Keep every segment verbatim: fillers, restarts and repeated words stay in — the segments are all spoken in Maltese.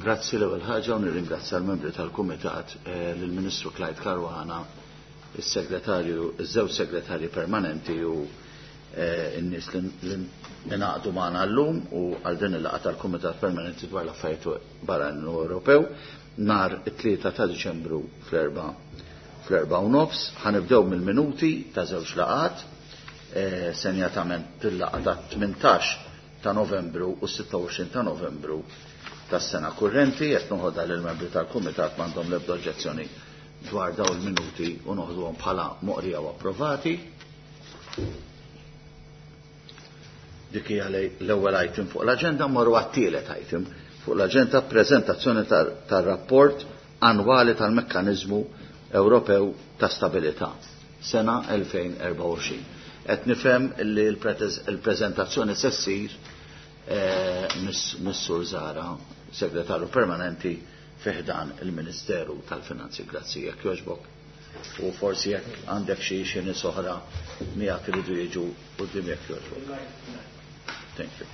Grazzi l-ewwel ħaġa u nirringrazzja l-membri tal-Kumitat, eh, lill-Ministru Clyde Caruana, is-segretarju, iż-żewġ segretarji permanenti u eh, n-nies li ngħaqdu magħna llum u għal din il-laqgħa tal-Kumitat Permanenti dwar l-Affarijiet Barranin Ewropew nhar it-tlieta ta' Diċembru fl-erba' fl-erba' u nofs. Ħa nibdew mill-minuti ta' żewġ laqgħat, eh, senjatament il-laqgħa ta' tmintax ta' Novembru u sitta u għoxrin ta' Novembru tas-sena kurrenti. Qed noħodha lil membri tal-Kumitat m'għandhom l-ebda oġġezzjoni dwar dawn il-minuti u noħduhom bħala moqrija u approvati. Dik hija l-ewwel item fuq l-aġenda. Mmorru għat-tielet item fuq l-aġenda, preżentazzjoni tar-rapport annwali tal-Mekkaniżmu Ewropew ta' Stabilità sena elfejn erbgħa u għoxrin. Qed nifhem li l-preżentazzjoni se ssir, eh, mis-Sur Zara, segretarju permanenti fi ħdan il-Ministeru tal-Finanzi. Grazzi, jekk jogħġbok. U forsi jekk għandek xi xi nies oħra miegħek iridu jiġu quddiem, jekk jogħġbok. Thank you.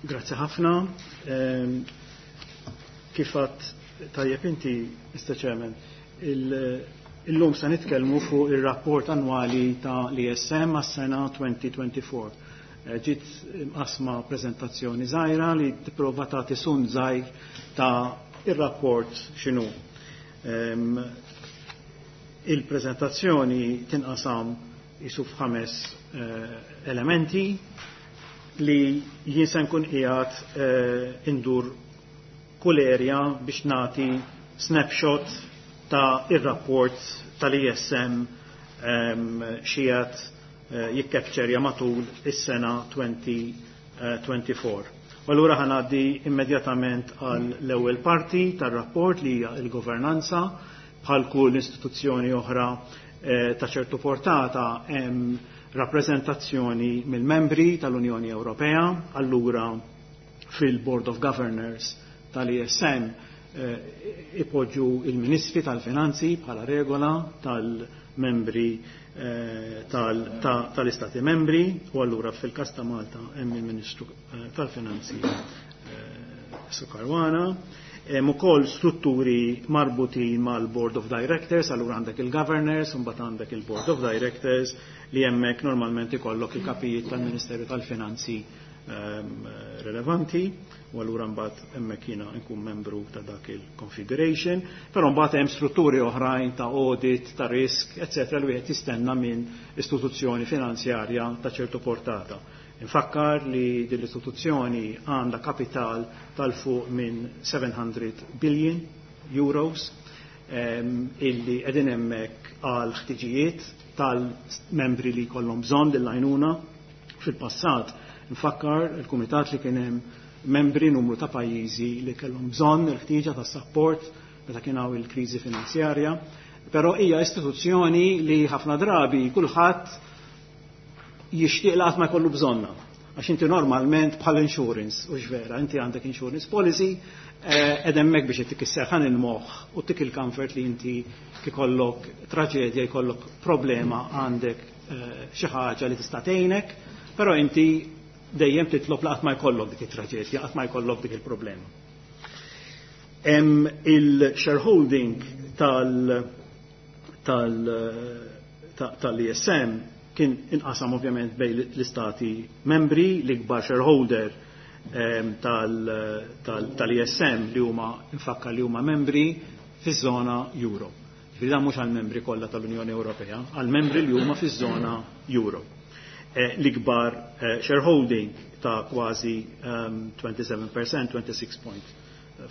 Grazzi ħafna. Ehm, kif għedt tajjeb inti, Mister Chairman, illum se nitkellmu fuq ir-rapport annwali ta' l-E S M għas-sena twenty twenty-four. Eh, ġiet mqasma preżentazzjoni żgħira li tipprova tagħti sun żgħir ta' ir-rapport x'inhu. Ehm, il-preżentazzjoni tinqasam isu f'ħames, eh, elementi li jien se nkun qiegħed, eh, indur kull area biex nagħti snapshot ta' ir-rapport tal-E S M, ehm, xi qiegħed, eh, jikkapċerja matul is-sena twenty twenty-four. U allura ħanaddi immedjatament għal l-ewwel parti tar-rapport li hija l-governanza. Bħal kull istituzzjoni oħra, eh, ta' ċertu portata hemm rappreżentazzjoni mill-membri tal-Unjoni Ewropea, allura fil-Board of Governors tal-E S M, eh, ipoġġu il-Ministri tal-Finanzi bħala regola tal-membri, eh, tal-, ta-, tal-Istati membri, u allura fil-każ ta' Malta hemm il-Ministru, eh, tal-Finanzi, eh, Su Caruana. Hemm ukoll strutturi marbutin mal-Board of Directors, allura għandek il-Governors, u mbagħad għandek il-Board of Directors li hemmhekk normalment ikollok il-kapijiet tal-Ministeru tal-Finanzi, ehm, relevanti, u allura mbagħad hemmhekk jiena nkun membru ta' dak il-configuration, però mbagħad hemm strutturi oħrajn ta' audit, ta' risk, eccetera, li wieħed jistenna minn istituzzjoni finanzjarja ta' ċertu portata. Infakkar li din l-istituzzjoni għandha kapital tal-fuq minn seven hundred billion euros, ehm, illi qegħdin hemmhekk għal ħtiġijiet tal-membri li jkollhom bżonn lill-għajnuna. Fil-passat nfakkar il-kumitat li kien hemm membri numru ta' pajjiżi li kellhom bżonn il-ħtieġa ta' support meta kien hawn il-kriżi finanzjarja, però hija istituzzjoni li ħafna drabi kulħadd jixtieq li qatt ma jkollu bżonna. Għax inti normalment bħal insurance, u x'vera, inti għandek insurance policy, eh, qed hemmhekk biex ittik is-serħan il-moħħ u tik il-comfort li inti kikollok traġedja, jkollok problema, għandek, eh, xi ħaġa li tista' tgħinek, però inti dejjem titlob li qatt ma jkollok dik it-traġedja, qatt ma jkollok dik il-problema. Hemm il-shareholding tal-, tal-, ta-, tal-E S M kien inqasam ovvjament bejn l-istati membri, l-ikbar shareholder, ehm, tal-, tal-, tal-E S M li huma nfakkar li huma membri fiż-żona euro. Ġifieri dan mhux għall-membri kollha tal-Unjoni Ewropea, għall-membri li huma fiż-żona euro. Eh, l-ikbar, eh, shareholding ta' kważi, ehm, twenty-seven percent, twenty-six point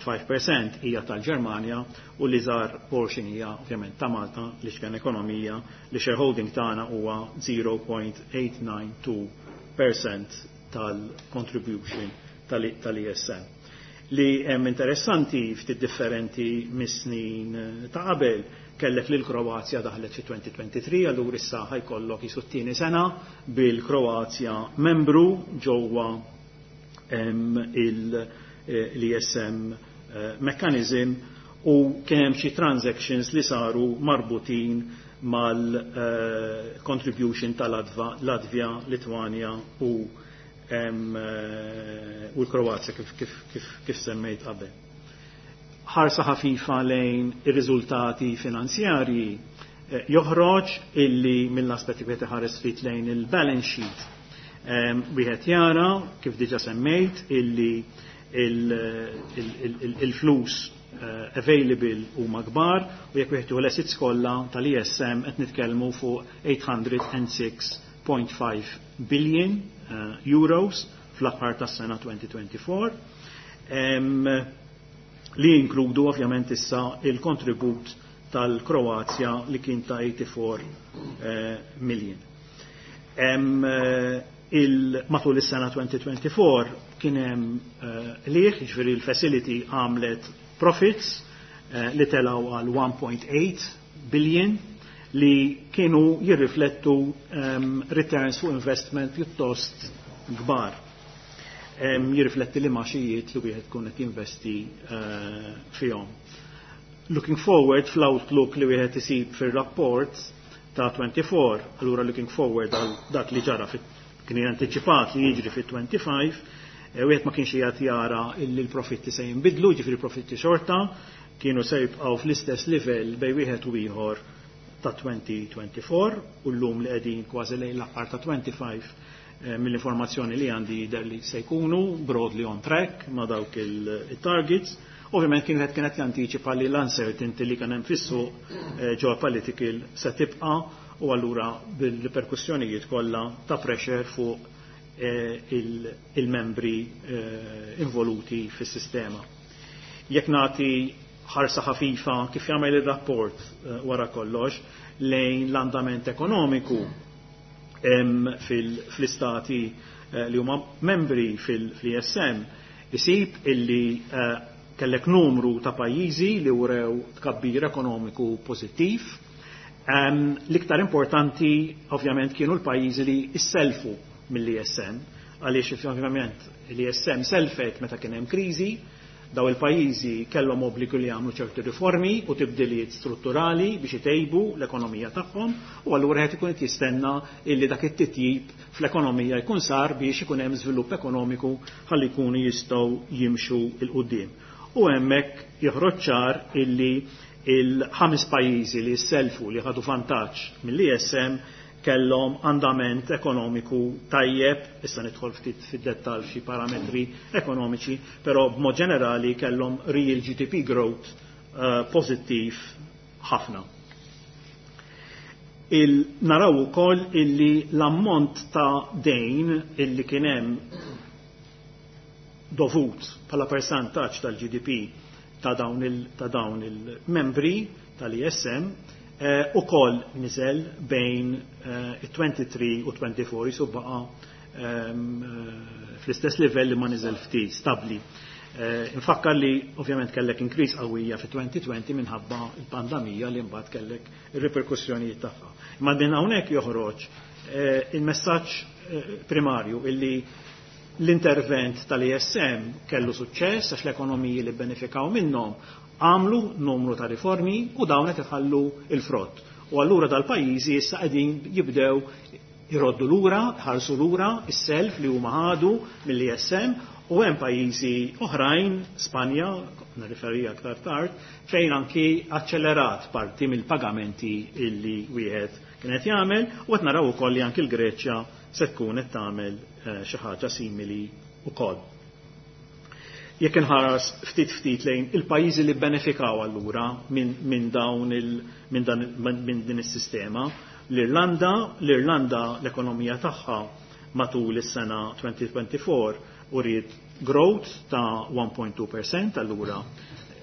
five percent hija tal-Ġermanja u l-iżgħar portion hija ovvjament ta' Malta li x'kien ekonomija li shareholding tagħna huwa zero point eight nine two percent tal-contribution tal-E S M. Li hemm interessanti ftit differenti mis-snin ta' qabel, kellek lil Kroazja daħlet fi twenty twenty-three, allura issa ħajkollok jisu t-tieni sena bil-Kroazja membru ġewwa, em, il-, eh, l-E S M, eh, mechanism, u kien hemm xi transactions li saru marbutin mal-contribution eh, tal-Latvja, Litwanja u eh, u l-Kroazja kif, kif, kif, kif semmejt qabel. Ħarsa ħafifa lejn ir-riżultati finanzjarji eh, joħroġ illi mill-aspetti wieħed iħares ftit lejn il-balance sheet. Wieħed jara kif diġà semmejt illi il-flus Eh, available huma kbar u jekk wieħed l-assets kollha tal-E S M qed nitkellmu fuq eight hundred and six point five billion eh, euros fl-aħħar tas-sena elfejn u erbgħa u għoxrin, li jinkludu ovvjament issa il-kontribut tal-Kroazja li kien ta' eighty-four eh, million. Il, matul is-sena elfejn u erbgħa u għoxrin kien hemm qligħ, jiġifieri l-facility għamlet profits eh, li telaw għal one point eight billion li kienu jirriflettu um, returns fuq investment pjuttost kbar. Um, jirrifletti li imgħaxijiet li wieħed kun qed jinvesti uh, fihom. Looking forward, fl-outlook li wieħed isib fir-rapport ta' twenty-four, allura looking forward għal dak li ġara fit kien anticipat li jiġri fit-twenty-five, Eh, wieħed ma kienx qiegħed jara illi l-profitti se jinbidlu, ġifieri profitti xorta kienu se jibqgħu fl-istess livell bejn wieħed u ieħor ta' elfejn u erbgħa u għoxrin, u llum li qegħdin kważi lejn l-aħħar ta' twenty-five, eh, mill-informazzjoni li għandi jidher li se jkunu broadly on track ma' dawk il-targets. Ovvjament kien qed kienet jantiċipa li l-uncertainty li kien hemm fis-suq eh, geopolitical se tibqa' u allura bil-riperkussjonijiet kollha ta' pressure fuq Eh, il-membri eh, involuti fis-sistema. Jekk nagħti ħarsa ħafifa kif jagħmel ir-rapport eh, wara kollox lejn l-andament ekonomiku fil-istati li huma membri fil-E S M, isib illi kellek numru ta' pajjiżi li wrew tkabbir ekonomiku pożittiv. L-iktar importanti ovvjament kienu l-pajjiżi li isselfu mill-E S M, għaliex ovvjament l-E S M selfet meta kien hemm kriżi, daw il-pajjiżi kellhom obbligu li jagħmlu ċerti riformi u tibdiliet strutturali biex itejbu l-ekonomija tagħhom, u allura qed ikun qed jistenna illi dak it-titjib fl-ekonomija jkun sar biex ikun hemm żvilupp ekonomiku ħalli jkunu jistgħu jimxu 'l quddiem. U hemmhekk joħroġ ċar illi il-ħames pajjiżi li selfu, li ħadu vantaġġ mill-E S M, kellhom andament ekonomiku tajjeb, issa nidħol ftit fid-dettall f'xi parametri ekonomiċi, però b'mod ġenerali kellhom real G D P growth uh, pożittiv ħafna. Il naraw ukoll illi l-ammont ta' dejn illi kien hemm dovut bħala percentaġġ tal-G D P ta' dawn il-membri tal-E S M eh, ukoll niżel bejn eh, tlieta u għoxrin u erbgħa u għoxrin, jisu baqa ehm, eh, fl-istess livell li ma niżel ftit, stabli. Infakkar li ovvjament kellek increase qawwija fi elfejn u għoxrin minħabba il-pandemija li mbagħad kellek ir-riperkussjonijiet tagħha. Imma din hawnhekk joħroġ il-messaġġ primarju illi l-intervent tal-E S M kellu suċċess, għax l-ekonomiji li benefikaw minnhom għamlu numru ta' riformi u dawn qed iħallu il-frott. U allura dal-pajjiżi issa qegħdin jibdew jroddu lura, ħarsu lura is-self li huma ħadu mill-E S M, u hemm pajjiżi oħrajn, Spanja, nirreferi aktar tard, fejn anki aċċelerat parti mill-pagamenti illi wieħed kienet jagħmel, u qed naraw ukoll li anki l-Greċja se tkun qed tagħmel eh, xi ħaġa simili ukoll. Jekk inħares ftit ftit lejn il-pajjiżi li benefikaw allura minn min dawn il, min dan, min din is-sistema, l-Irlanda, l-Irlanda l-ekonomija tagħha matul is-sena elfejn u erbgħa u għoxrin uriet growth ta' one point two percent, allura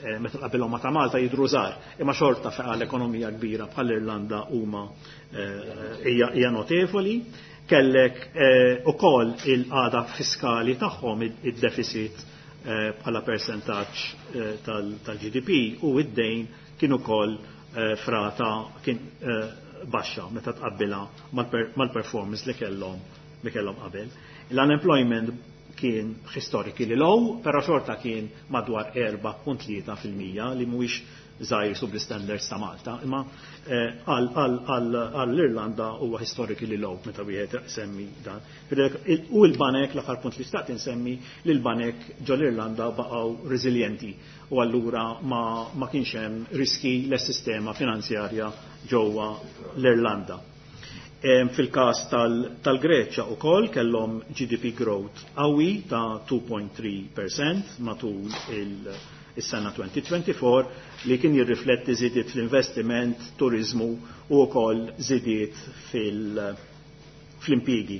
eh, meta qabilhom ma ta' Malta jidru żgħar, imma xorta feqa l-ekonomija kbira bħall-Irlanda huma eh, hija notevoli. Kellek eh, ukoll il-qagħda fiskali tagħhom, id-deficit bħala percentaġġ tal-G D P u id-dejn kienu ukoll frata kien baxxa meta tqabbilha mal-performance li kellhom li kellhom qabel. L-unemployment kien kien historically low, però xorta kien madwar erbgħa punt tlieta fil-mija, li mhuwiex żgħir sub l-standards ta' Malta, imma għall-Irlanda huwa historically low meta wieħed semmi dan. U l-banek, l-aħħar punt li xtaqt insemmi, li l-banek ġol-Irlanda baqgħu reżiljenti u allura ma, ma kienx hemm riski l-sistema finanzjarja ġewwa l-Irlanda. Fil-każ tal-Greċja ukoll kellhom G D P growth qawwi ta' tnejn punt tlieta fil-mija matul is-sena elfejn u erbgħa u għoxrin, li kien jirrifletti żidiet fl-investiment, turizmu u wkoll żidiet fil-impjiegi.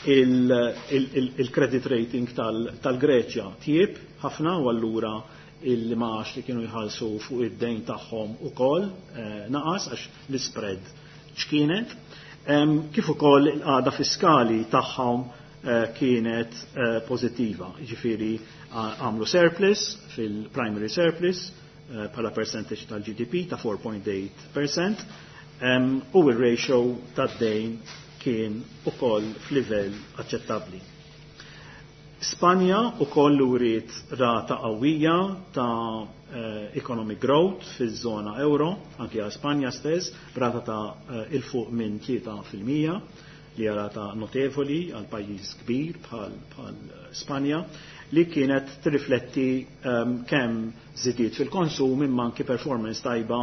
Il-credit rating tal-Greċja tjieb ħafna u allura il-imgħax li kienu jħallsu fuq id-dejn tagħhom ukoll eh, naqas għax l-spread ċkienet. Kif ukoll il-qagħda fiskali tagħhom eh, kienet eh, pożittiva. Jiġifieri għamlu surplus fil-primary surplus bħala percentage tal-G D P ta' erbgħa punt tmienja fil-mija u il-ratio tad-dejn kien ukoll f'livell aċċettabbli. Spanja ukoll uriet rata qawwija ta' eh, economic growth fiż-żona euro, anki għal Spanja stess, rata ta' eh, 'il fuq minn tlieta fil-mija, li rata notevoli għal pajjiż kbir bħal, bħal Spanja, li kienet tirrifletti um, kemm żidiet fil-konsum imma anki performance tajba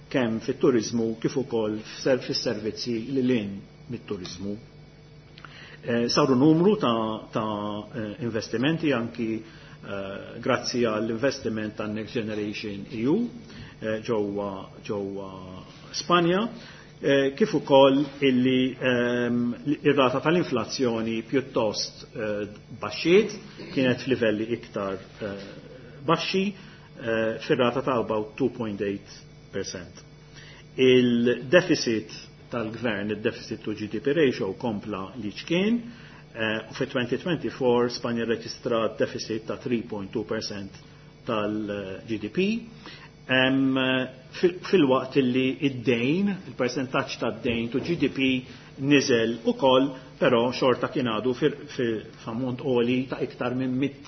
kemm fit-turizmu kif ukoll fis-servizzi lil hinn mit-turizmu. Eh, saru numru ta', ta eh, investimenti anki eh, grazzi għall-investiment ta' Next Generation E U ġewwa ġewwa Spanja, kif ukoll illi ehm, ir-rata tal-inflazzjoni pjuttost baxxiet, kienet f'livelli iktar baxxi fir-rata ta' about two point eight percent. Il-deficit tal-gvern, il-deficit to G D P ratio, kompla li ċkien, u fi elfejn u erbgħa u għoxrin Spanja reġistrat deficit ta' tlieta punt tnejn fil-mija tal-G D P. Fil-waqt li id-dejn, il-percentaġġ tad-dejn to G D P niżel ukoll, però xorta kien għadu f'ammont għoli ta' iktar minn mit,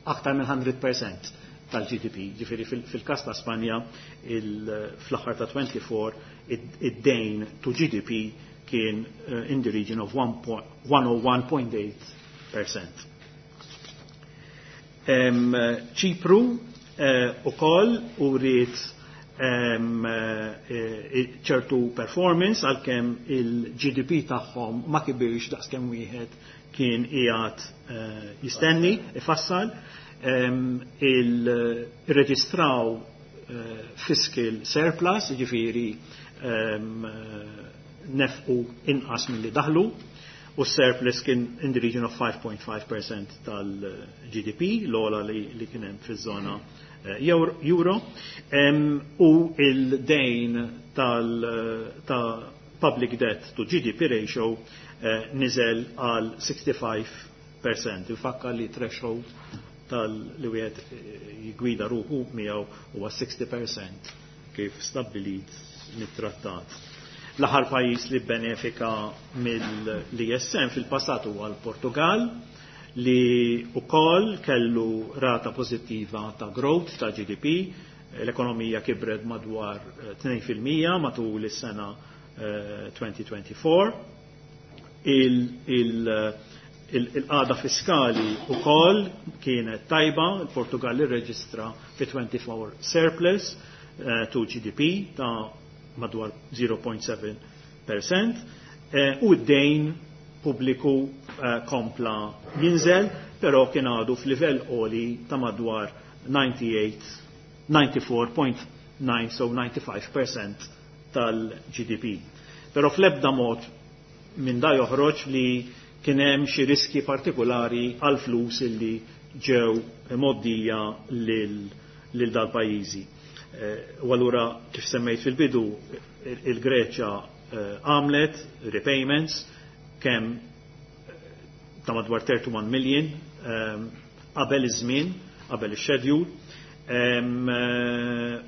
aktar minn mija fil-mija tal-G D P. Ġifieri fil-kas ta' Spanja, fl-aħħar ta' erbgħa u għoxrin id-dejn to G D P kien eh, in the region of one hundred and one point eight percent. Ċipru eh, ukoll uriet eh, ċertu performance, għalkemm il-G D P tagħhom ma kibirx daqskemm wieħed kien qiegħed jistenni, ifassal. Il-reġistraw fiscal surplus, ġifieri nefqu inqas milli daħlu, u surplus kien in the region of five point five percent tal-G D P, l-ogħla li, li kien hemm fiż-żona eh, euro, u il-dejn tal ta' public debt to G D P ratio eh, niżel għal sittaw u ħamsin fil-mija. Infakkar li threshold tal-li wieħed eh, jigwida ruħu miegħu huwa sittaw u sittin fil-mija kif stabbilit mit-trattat. L-aħħar pajjiż li benefika mill-E S M fil-passat huwa l-Portugal, li ukoll kellu rata pożittiva ta' growth ta' G D P, l-ekonomija kibret madwar tnejn fil-mija matul is-sena elfejn u erbgħa u għoxrin. Il-qagħda fiskali ukoll kienet tajba, il-Portugal irreġistra fi erbgħa u għoxrin surplus eh, to G D P ta' madwar zero punt seba' fil-mija eh, u d-dejn pubbliku eh, kompla jinżel, però kien għadu f'livell għoli ta' madwar disgħa u tmenin, disgħa u tmenin punt tmien, so disgħa u disgħin fil-mija tal-G D P. Però fl-ebda mod minn da joħroġ li kien hemm xi riski partikolari għal flus illi ġew mgħoddija lil, lil dal-pajjiżi. Eh, u allura, kif semmejt fil-bidu, il-Greċja eh, għamlet repayments kemm eh, ta' madwar tletin million qabel iż-żmien, qabel ix-schedule,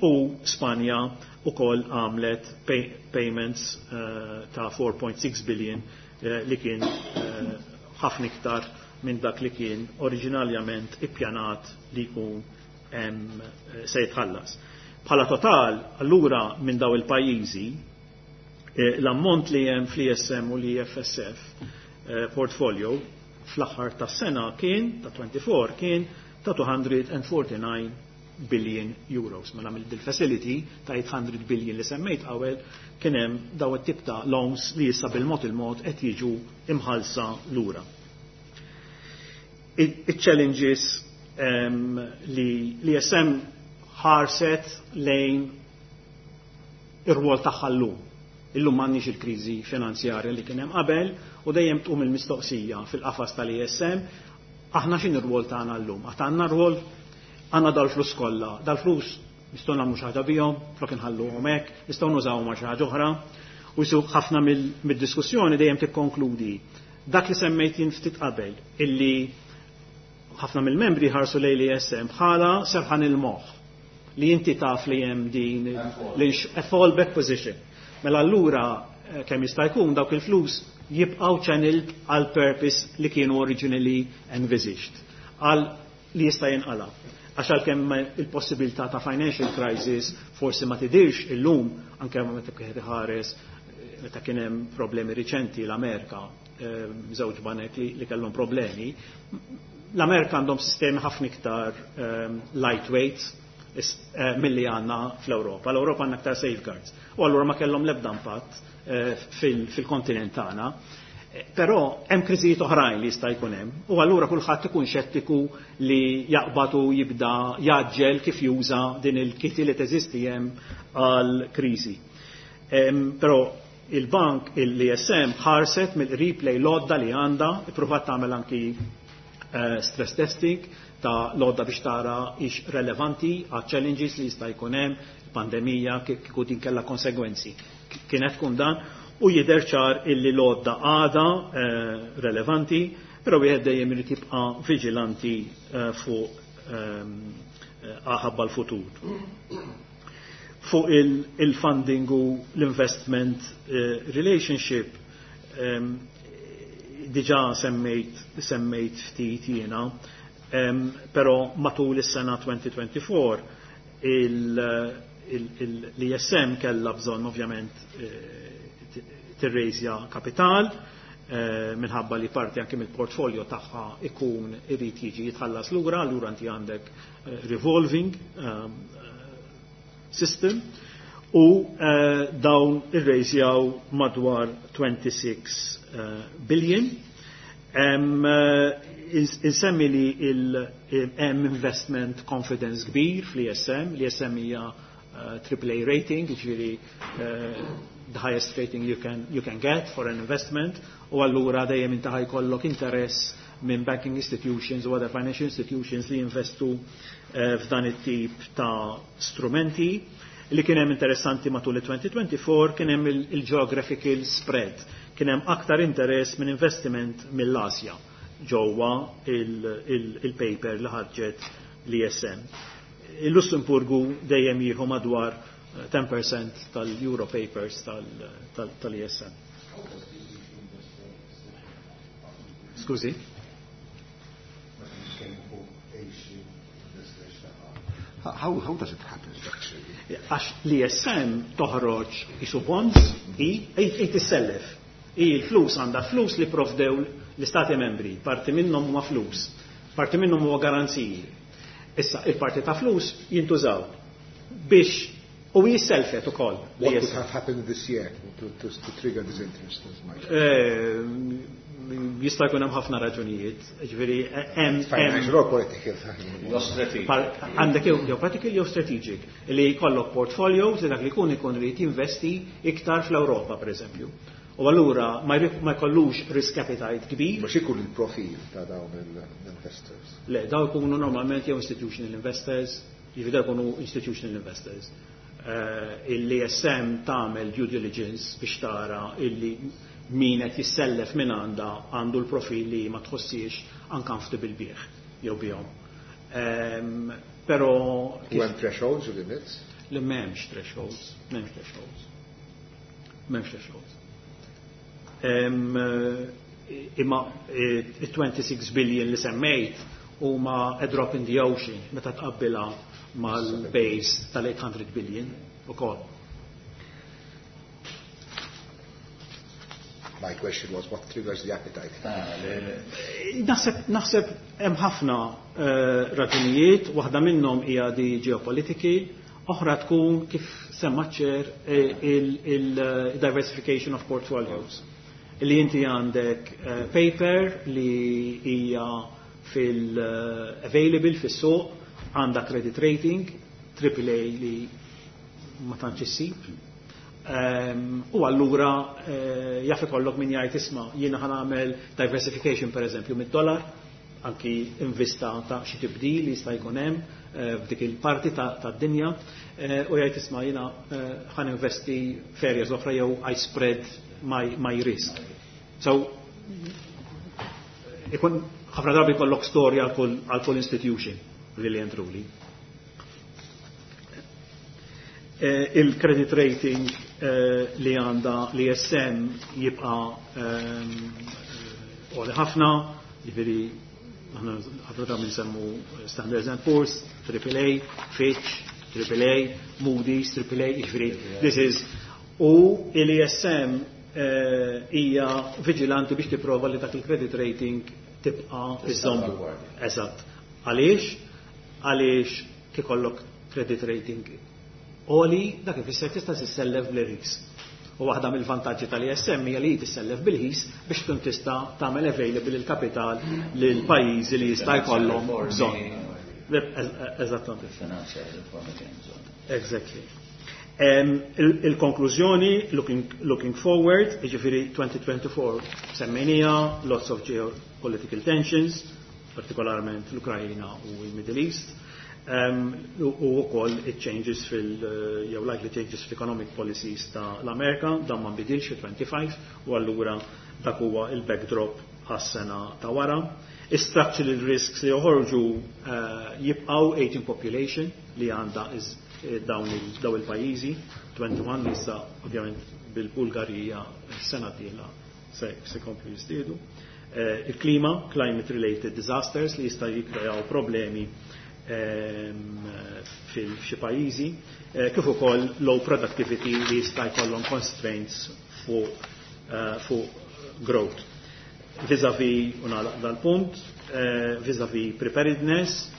u Spanja ukoll għamlet payments ta' erbgħa punt sitta billion, li kien ħafna iktar minn dak li kien oriġinarjament ippjanat li jkun se jitħallas. Bħala total, allura minn daw il-pajjiżi, l-ammont li hemm fl-E S M u l-E F S F portfolio fl-aħħar tas-sena kien ta' twenty-four kien ta' two hundred forty-nine billion euros. Mela mill-facility ta' eight hundred billion li semmejt qabel kien hemm daw it-tip ta' loans li issa bil-mod il-mod qed jiġu imħalsa lura. Il-challenges um, li l-E S M ħarset lejn ir-rwol tagħha llum. Illum m'għandniex il-kriżi finanzjarja li kien hemm qabel u dejjem tqum il-mistoqsija fil-qafas tal-E S M: aħna x'in ir-rwol tagħna llum? Għad għandna rwol? Għandna dal-flus kollha, dal-flus nistgħu nagħmlu xi ħaġa bihom, flok inħalluhom hekk, nistgħu nużawhom għal xi ħaġa oħra. U jisu ħafna mid-diskussjoni dejjem tikkonkludi dak li semmejt jien ftit qabel, illi ħafna mill-membri ħarsu lejn l-E S M bħala serħan il-moħħ li inti taf li hemm din a fallback position. Mela allura eh, kemm jista' jkun dawk il-flus jibqgħu channeled għal purpose li kienu originally envisaged, għal li jista' jinqala. Għax għalkemm il-possibilità ta' financial crisis forsi ma tidirx illum, anke meta wieħed iħares meta kien hemm problemi riċenti l-Amerika, eh, żewġ banek li, li kellhom problemi, l-Amerika għandhom sistemi ħafna iktar um, lightweight eh, milli għandna fl-Europa. L-Europa għandna aktar safeguards. U allura ma kellhom l-ebda impatt eh, fil-kontinent tagħna. Eh, però hemm kriżijiet oħrajn li jista' jkun hemm. U allura kulħadd ikun xettiku li jaqbad u jibda jaġġel kif juża din il-kitty li teżisti hemm għal kriżi. Però il-bank, il-E S M ħarset mill-qrib lejn l-għodda li għandha, ippruvat tagħmel anki uh, stress testing ta' l-għodda biex tara ix relevanti għal challenges li jista' jkun hemm, pandemija, kieku din kellha konsegwenzi. Kienet tkun dan u jidher ċar illi l-għodda għada eh, relevanti, però wieħed dejjem irid jibqa' viġilanti eh, fuq ehm, ħabba l-futur. Fuq il-funding u l-investment relationship, ehm, diġa semmejt, semmejt ftit jiena, um, però matul is-sena elfejn u erbgħa u għoxrin l-E S M kella bżonn ovvjament eh, tirrejżja kapital eh, minħabba li parti anke mill-portfolio tagħha ikun irid jiġi jitħallas lura, allura inti għandek eh, revolving um, system u dawn irrejżjaw madwar twenty-six billion. Insemmi li hemm investment confidence kbir fl-E S M. L-E S M hija triple A rating, ġifieri the highest rating you can, you can get for an investment, u allura dejjem inti ħa jkollok interess minn banking institutions u other financial institutions li jinvestu f'dan it-tip ta' strumenti. Li kien hemm interessanti matul il-elfejn u erbgħa u għoxrin kien hemm il-geographical spread. Kien hemm aktar interess minn investiment mill-Asja ġewwa il-paper li ħarġet l-E S M. Il-Lussemburgu dejjem jieħu madwar ten percent tal-Euro papers tal-E S M. Skużi? How, how does it happen actually? Għax l-E S M toħroġ isu bonds i i tissellef. I l-flus għandha flus li provdew l-istati membri, parti minnhom huma flus, parti minnhom huwa garanziji. Issa il-parti ta' flus jintużaw biex u jisselfet ukoll. What could have happened this year to, to, to trigger this interest? Eh, jista' jkun hemm ħafna raġunijiet, ġifieri hemm Financial or political. Għandek jew political jew strategic li jkollok portfolios li dak li jkun ikun irid jinvesti iktar fl-Ewropa, pereżempju. U allura ma jkollux risk appetite kbir. Mhux ikun il-profil ta' dawn l-investors? Le, daw ikunu normalment jew institutional investors, jiġifieri jkunu institutional investors. Uh, Il-E S M tagħmel due diligence biex tara illi min qed jissellef minn għandha għandu l-profil li ma tħossiex uncomfortable bih jew bihom. Um, pero U hemm thresholds u limits? Li m'hemmx thresholds, m'hemmx thresholds. M'hemmx thresholds. Um, Imma twenty-six billion li semmejt huma a drop in the ocean meta tqabbilha mal-base tal-eight hundred billion ukoll. My question was, what triggers the appetite? Naħseb naħseb hemm ħafna raġunijiet, waħda minnhom hija di geopolitiki, oħra tkun kif semma ċer il-diversification of portfolios. Li inti għandek paper li hija fil-available fis-suq, għandha credit rating, triple A li ma tantx issib. U allura jaf ikollok min jgħid isma' jiena ħa nagħmel diversification pereżempju mid-dollar, anki invista ta' xi tibdil li jista' jkun hemm f'dik il-parti tad-dinja, u jgħid isma' jiena ħa ninvesti f'areas oħra jew I spread my, my risk. So ikun ħafna drabi jkollok storja għal kull institution really and truly. Il-credit rating li għandha l-I S M jibqa' għoli ħafna, jiġifieri aħna ħafna drabi nsemmu Standard and Poor's, triple A, Fitch, triple A, Moody's, triple A, jiġifieri this is, u l-I S M hija viġilanti biex tipprova li dak il-credit rating tibqa' iżżommu. Eżatt. Għaliex? Għaliex kikollok credit rating għoli, dak ifisser tista' tissellef bl-irħis. U waħda mill-vantaġġi tal-I S M hija li tissellef bil-ħis biex tkun tista' tagħmel available il-kapital lil pajjiżi li jista' jkollhom bżonn. Eżattament. Exactly. Il-konklużjoni, looking, looking forward, jiġifieri twenty twenty-four semmejnija, lots of geopolitical tensions, partikolarment l-Ukrajna u l-Middle East, u wkoll it-changes fil, jew likely changes fil-economic policies ta' l-Amerika, dan ma nbidilx fi twenty-five, u allura dak huwa il-backdrop għas-sena ta' wara. Structural risks li joħorġu jibqgħu aging population li għandha dawn daw il-pajjiżi, twenty-one li issa ovvjament bil-Bulgarija s-sena d-dieħla se se jkomplu jiżdiedu. Il-klima, climate related disasters li jista' jikkreaw problemi fil-xi pajjiżi, kif ukoll low productivity li jista' jkollhom constraints fuq fuq growth. Vis-a-vis, u nagħlaq dal-punt, vis-a-vis preparedness,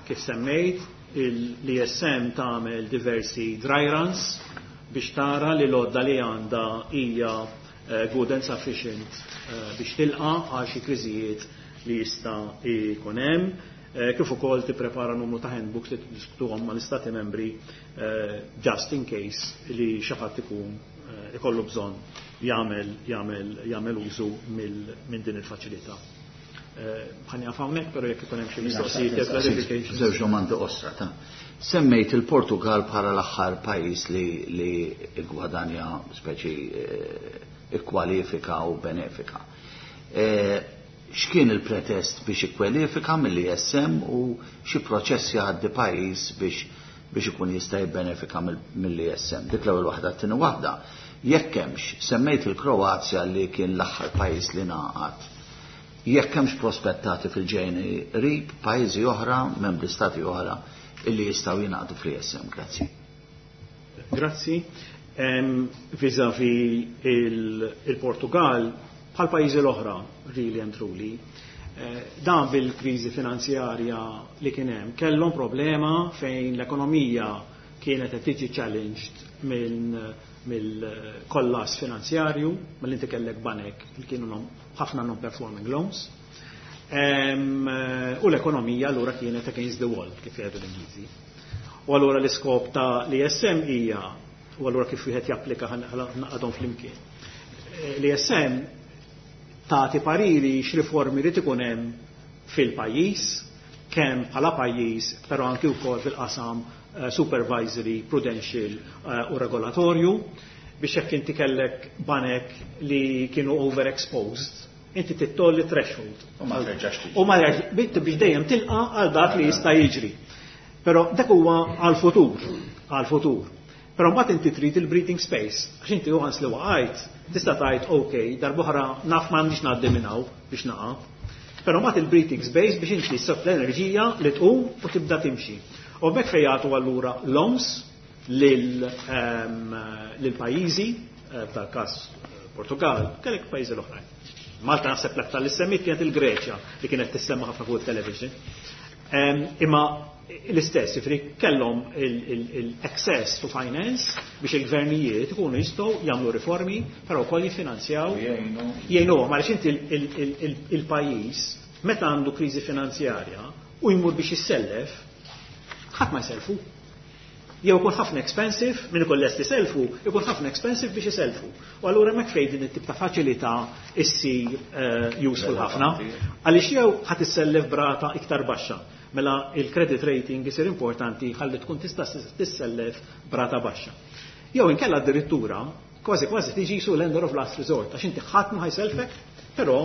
kif semmejt, l-I S M tagħmel diversi dry runs biex tara li l-għodda li għandha hija good and sufficient biex tilqa' għal xi kriżijiet li jista' jkun hemm, kif ukoll tipprepara numru ta' handbooks li tiddiskutuhom mal-istati membri just in case li xi ħadd ikun ikollu bżonn jagħmel jagħmel jagħmel użu minn din il-faċilità. Ħani għaf hawnhekk, però jekk ikun hemm xi mistoqsijiet jew clarification. Żewġ domandi qosra ta' semmejt il-Portugal bħala l-aħħar pajjiż li li gwadanja speċi ikkwalifika u benefika. X'kien il-pretest biex ikkwalifika mill-I S M u xi proċess jgħaddi pajjiż biex biex ikun jista' jibbenefika mill-I S M? Dik l-ewwel waħda. T-tieni waħda, jekk hemmx, semmejt il-Kroazja li kien l-aħħar pajjiż li ngħaqad, jekk hemmx prospettati fil-ġejni qrib pajjiżi oħra, membri stati oħra illi jistgħu jingħaqdu fl-I S M. Grazzi. Grazzi. Vis-a-vis il-Portugal, bħal pajjiżi l-oħra, really and truly, dan bil-kriżi finanzjarja li kien hemm, kellhom problema fejn l-ekonomija kienet qed tiġi challenged minn mill-kollass finanzjarju, mill inti kellek banek li kienu ħafna non-performing loans. U l-ekonomija allura kienet against the wall, kif jgħidu l-Ingliżi. U allura l-iskop ta' l-I S M hija, u allura kif wieħed japplika naqadhom flimkien. L-I S M tagħti pariri x'riformi li ikun hemm fil-pajjiż, kemm bħala pajjiż, però anki wkoll fil-qasam supervisory, prudential u regolatorju, biex jekk inti kellek banek li kienu overexposed, inti tittolli threshold. U ma terġax tiġi. U ma terġax, biex dejjem tilqa' għal dak li jista' jiġri. Però dak huwa għal-futur, għal-futur. Però mbagħad inti trid il-breathing space, għax inti once li waqajt, tista' tgħid ok, darb'oħra naf m'għandix ngħaddi minn hawn biex naqa'. Però mbagħad il-breathing space biex inti ssib l-enerġija li tqum u tibda timxi. U hemmhekk fejn jagħtu allura loans lil ehm, lil pajjiżi, eh, f'dal-każ Portugal, kellek pajjiżi l-oħrajn. Malta naħseb l-aktar li semmit kienet il-Greċja li kienet tissemma ħafna fuq il-television. Ehm, Imma l-istess, jiġifieri kellhom il-access to finance biex il-gvernijiet ikunu jistgħu jagħmlu riformi, però wkoll jiffinanzjaw Jgħinu. jgħinuhom għaliex inti il- il- il- il-pajjiż meta għandu kriżi finanzjarja u jmur biex jissellef, ħadd ma jselfu. Jew ikun ħafna expensive, min ikun lest iselfu, ikun ħafna expensive biex iselfu. U allura hemmhekk fejn din it-tip ta' faċilità issir eh, useful ħafna. Għaliex jew ħadd issellef b'rata iktar baxxa. Mela il-credit rating isir importanti ħalli tkun tista' tissellef b'rata baxxa. Jew inkella addirittura kważi kważi tiġi su lender of last resort għax inti ħadd ma ħa jsellfek, però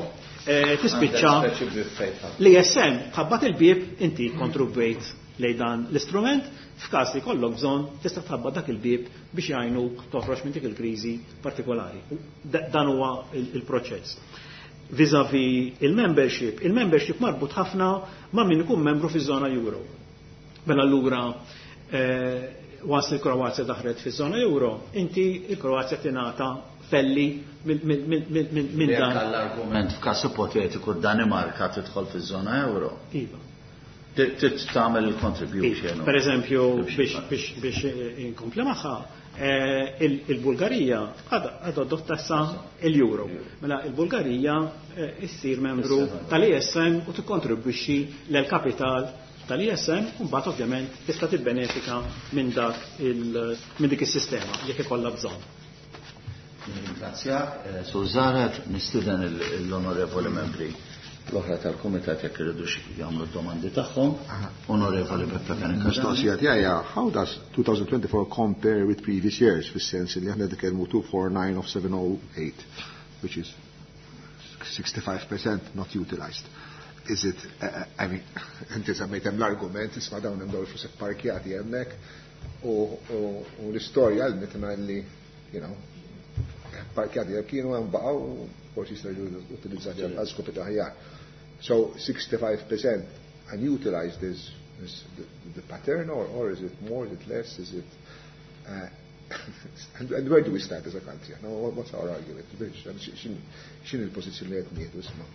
eh, tispiċċa Għandek speċi b'fejta. L-ESM tħabbat il-bib inti kontribwejt lejn dan l-istrument f'każ li kollok bżonn tista' tħabbat dak il-bib biex jgħinuk toħroġ minn dik il-kriżi partikolari. U da- Dan huwa il- il-proċess. Vis-a-vis il-membership, il-membership marbut ħafna ma' min ikun membru fiż-żona euro. Mela allura eh, once il-Kroazja daħlet fiż-żona euro, inti il-Kroazja tingħata felli minn min, min, min, min Jekk dan. għall-argument f'każ ipotetiku d-Danimarka tidħol fiż-żona euro, Iva. trid tagħmel il-contribution. Per eżempju, biex biex biex inkompli magħha, eh, il- il-Bulgarija għadha adotta sa il-euro. Mela il-Bulgarija eh, issir membru tal-ESM u tikkontribwixxi l-kapital tal-ESM u mbagħad ovvjament tista' tibbenefika minn dak il minn dik is-sistema jekk ikollha bżonn. Ringrazzjak, eh, Sur Zaret, nistieden l-onorevoli membri l-oħra tal-Kumitat jekk iridu jagħmlu d-domandi tagħhom. Onorevoli Beppe Fenech. Mistoqsija tiegħi hija, how does twenty twenty-four compare with previous years, fis-sens li aħna nitkellmu two forty-nine of seven oh eight, which is sixty-five percent not utilized. Is it, uh, I mean, inti semmejt hemm l-argument, isma' dawn hemm dawn il-flus parkjati hemmhekk u u- u l-istorja għallmitna li, you know, parkjati jekk kienu hemm baqgħu u forsi jistgħu jiġu utilizzati għal skopi ta' aħjar. So sixty-five percent unutilized is, is the, the pattern, or, or is it more, is it less, is it uh, and, and where do we stand as a country? No, what- what's our argument? X'inhi l-pożizzjoni li qed nieħdu isma'?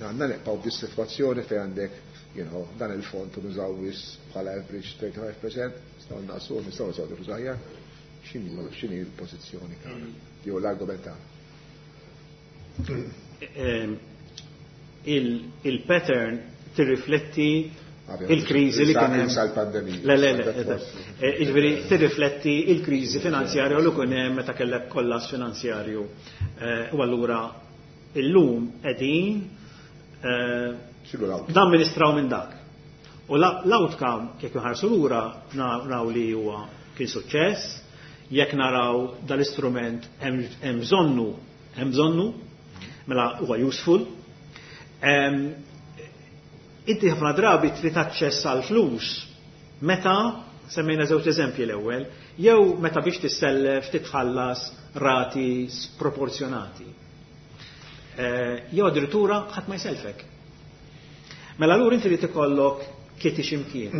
Għandna nibqgħu b'dis-sitwazzjoni fejn għandek, you know, dan il-fond u nużaw biss bħala average thirty-five percent, nistgħu naqsu, nistgħu nużaw flus aħjar. X'inhi x'inhi l-pożizzjoni tagħna? Jew l-argument tagħna? Ehm, il- Il-pattern tirrifletti Ovvjament, il-kriżi li kien hemm. Sa l-pandemija. Le, le, le, eh, jiġifieri tirrifletti il-kriżi finanzjarja li kien hemm meta kellek kollass finanzjarju. Eh, U allura illum qegħdin eh, X'inhu l-outcome? namministraw minn dak. U la- l-outcome, jekk nħarsu lura, naraw li huwa kien suċċess, jekk naraw dal-istrument hemm hemm bżonnu, hemm bżonnu, mela huwa useful. Em, Inti ħafna drabi trid aċċess għal flus meta semmejna żewġ eżempji l-ewwel, jew meta biex tissellef titħallas rati sproporzjonati. Eh, Jew addirittura ħadd ma jselfek. Mela allura inti li ikollok kitty ximkien.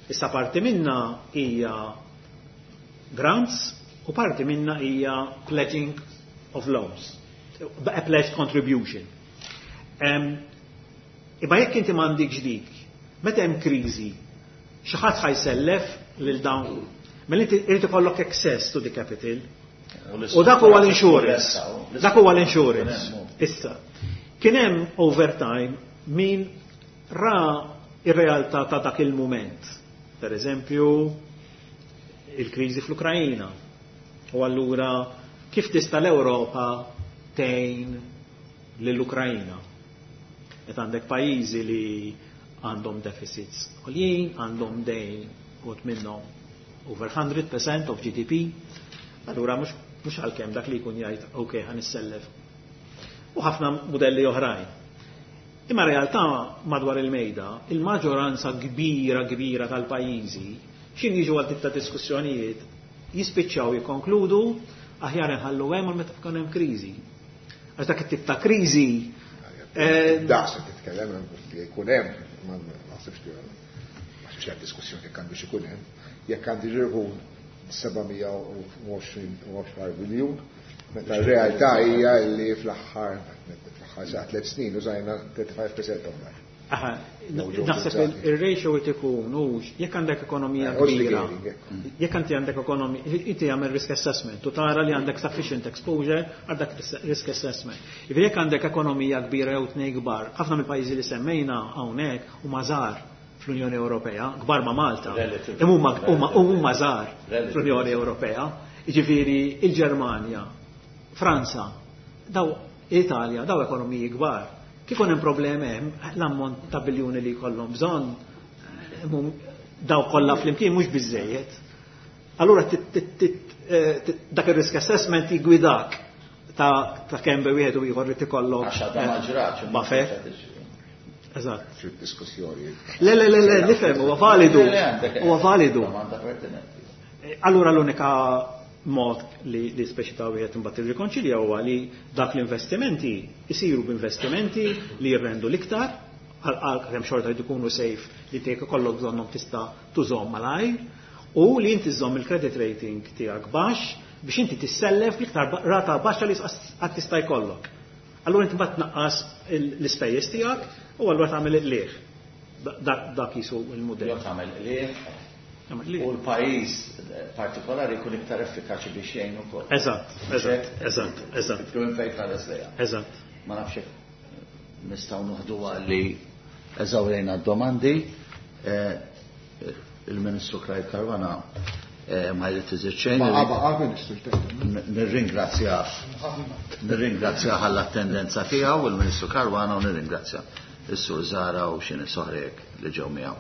Issa parti minna hija grants u parti minna hija pledging of loans, a pledged contribution. Um, Imma jekk inti m'għandikx dik, meta hemm kriżi, xi ħadd ħa jsellef lil dawn. Mela inti irid ikollok access to the capital. U dak huwa l-insurance. Dak huwa l-insurance. Issa, kien hemm overtime min ra ir-realtà ta' dak il-moment. Per eżempju, il-kriżi fl-Ukrajina. U allura kif tista' l-Ewropa tgħin lill-Ukrajina? Meta għandek pajjiżi li għandhom deficits għoljin, għandhom dejn u minnhom over one hundred percent of G D P, allura mhux mhux għalkemm dak li jkun jgħid ok, ħa nissellef. U ħafna modelli oħrajn. Imma realtà madwar il-mejda, il-maġġoranza kbira kbira tal-pajjiżi, x'ħin jiġu għal tip ta' diskussjonijiet, jispiċċaw jikkonkludu aħjar inħallu hemm għal meta tkun hemm kriżi. Għax dak it-tip ta' kriżi. Daqs qed titkellem li jkun hemm, ma naħsibx li ma naħsibx hemm diskussjoni jekk għandux ikun hemm, jekk għandi jkun seba' mija u għoxrin biljun, meta r-realtà hija li fl-aħħar fl-aħħar sa tliet snin użajna thirty-five percent of that. Aha, naħseb il-ratio qed ikun hux jekk għandek ekonomija kbira, jekk inti għandek ekonomija, inti jagħmel risk assessment u tara li għandek sufficient exposure għal dak risk assessment. Jiġifieri jekk għandek ekonomija kbira jew tnejn kbar, ħafna mill-pajjiżi li semmejna hawnhekk huma żgħar fl-Unjoni Ewropea, kbar ma' Malta, imma huma żgħar fl-Unjoni Ewropea, jiġifieri il-Ġermanja, Franza, daw Italja, daw ekonomiji kbar. Kif hemm problemi hemm, l-ammont ta' biljuni li jkollhom bżonn daw kollha flimkien mhux biżejjed. Allura dak ir-risk assessment jigwidak ta' kemm bej wieħed u ieħor li tikollok. Għax għadha ma ġratx. Buffer. Eżatt. Fid-diskussjoni. Le, le, le, le, nifhem, huwa validu. Huwa validu. Allura l-unika mod li, li speċi ta' wieħed imbagħad irrikonċilja huwa li dak l-investimenti isiru b'investimenti li jirrendu l-iktar, għal kemm xorta jrid ikunu safe li tiegħek ikollok bżonnhom tista' tużhom malajr, u li inti żomm il-credit rating tiegħek baxx biex inti tissellef l-iktar rata baxxa li qatt tista' jkollok. Allura inti mbagħad tnaqqas l-ispejjeż tiegħek u allura tagħmel il-qligħ. Dak jisu l-mudell. Jew tagħmel qligħ. U l-pajjiż partikolari jkun iktar effikaċi biex jgħin ukoll. Eżatt, eżatt, eżatt, eżatt. Tkun fejn tħares lejha. Eżatt. Ma nafx hekk nistgħu noħduha li eżawrejna d-domandi. Il-Ministru Clyde Caruana ma jrid iżid xejn. Baqa' baqa' Ministru. Nirringrazzjah. Nirringrazzjah għall-attendenza tiegħu il-Ministru Caruana u nirringrazzja is-Sur Zahra u xi nies oħra hekk li ġew miegħu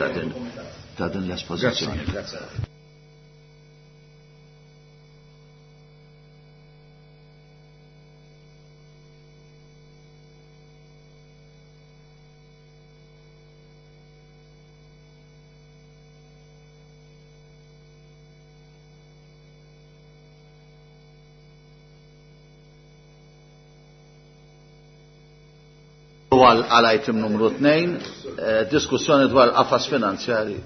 ta' din ta' din l-espożizzjoni. Grazie. Għal item numru tnejn, diskussjoni dwar qafas finanzjari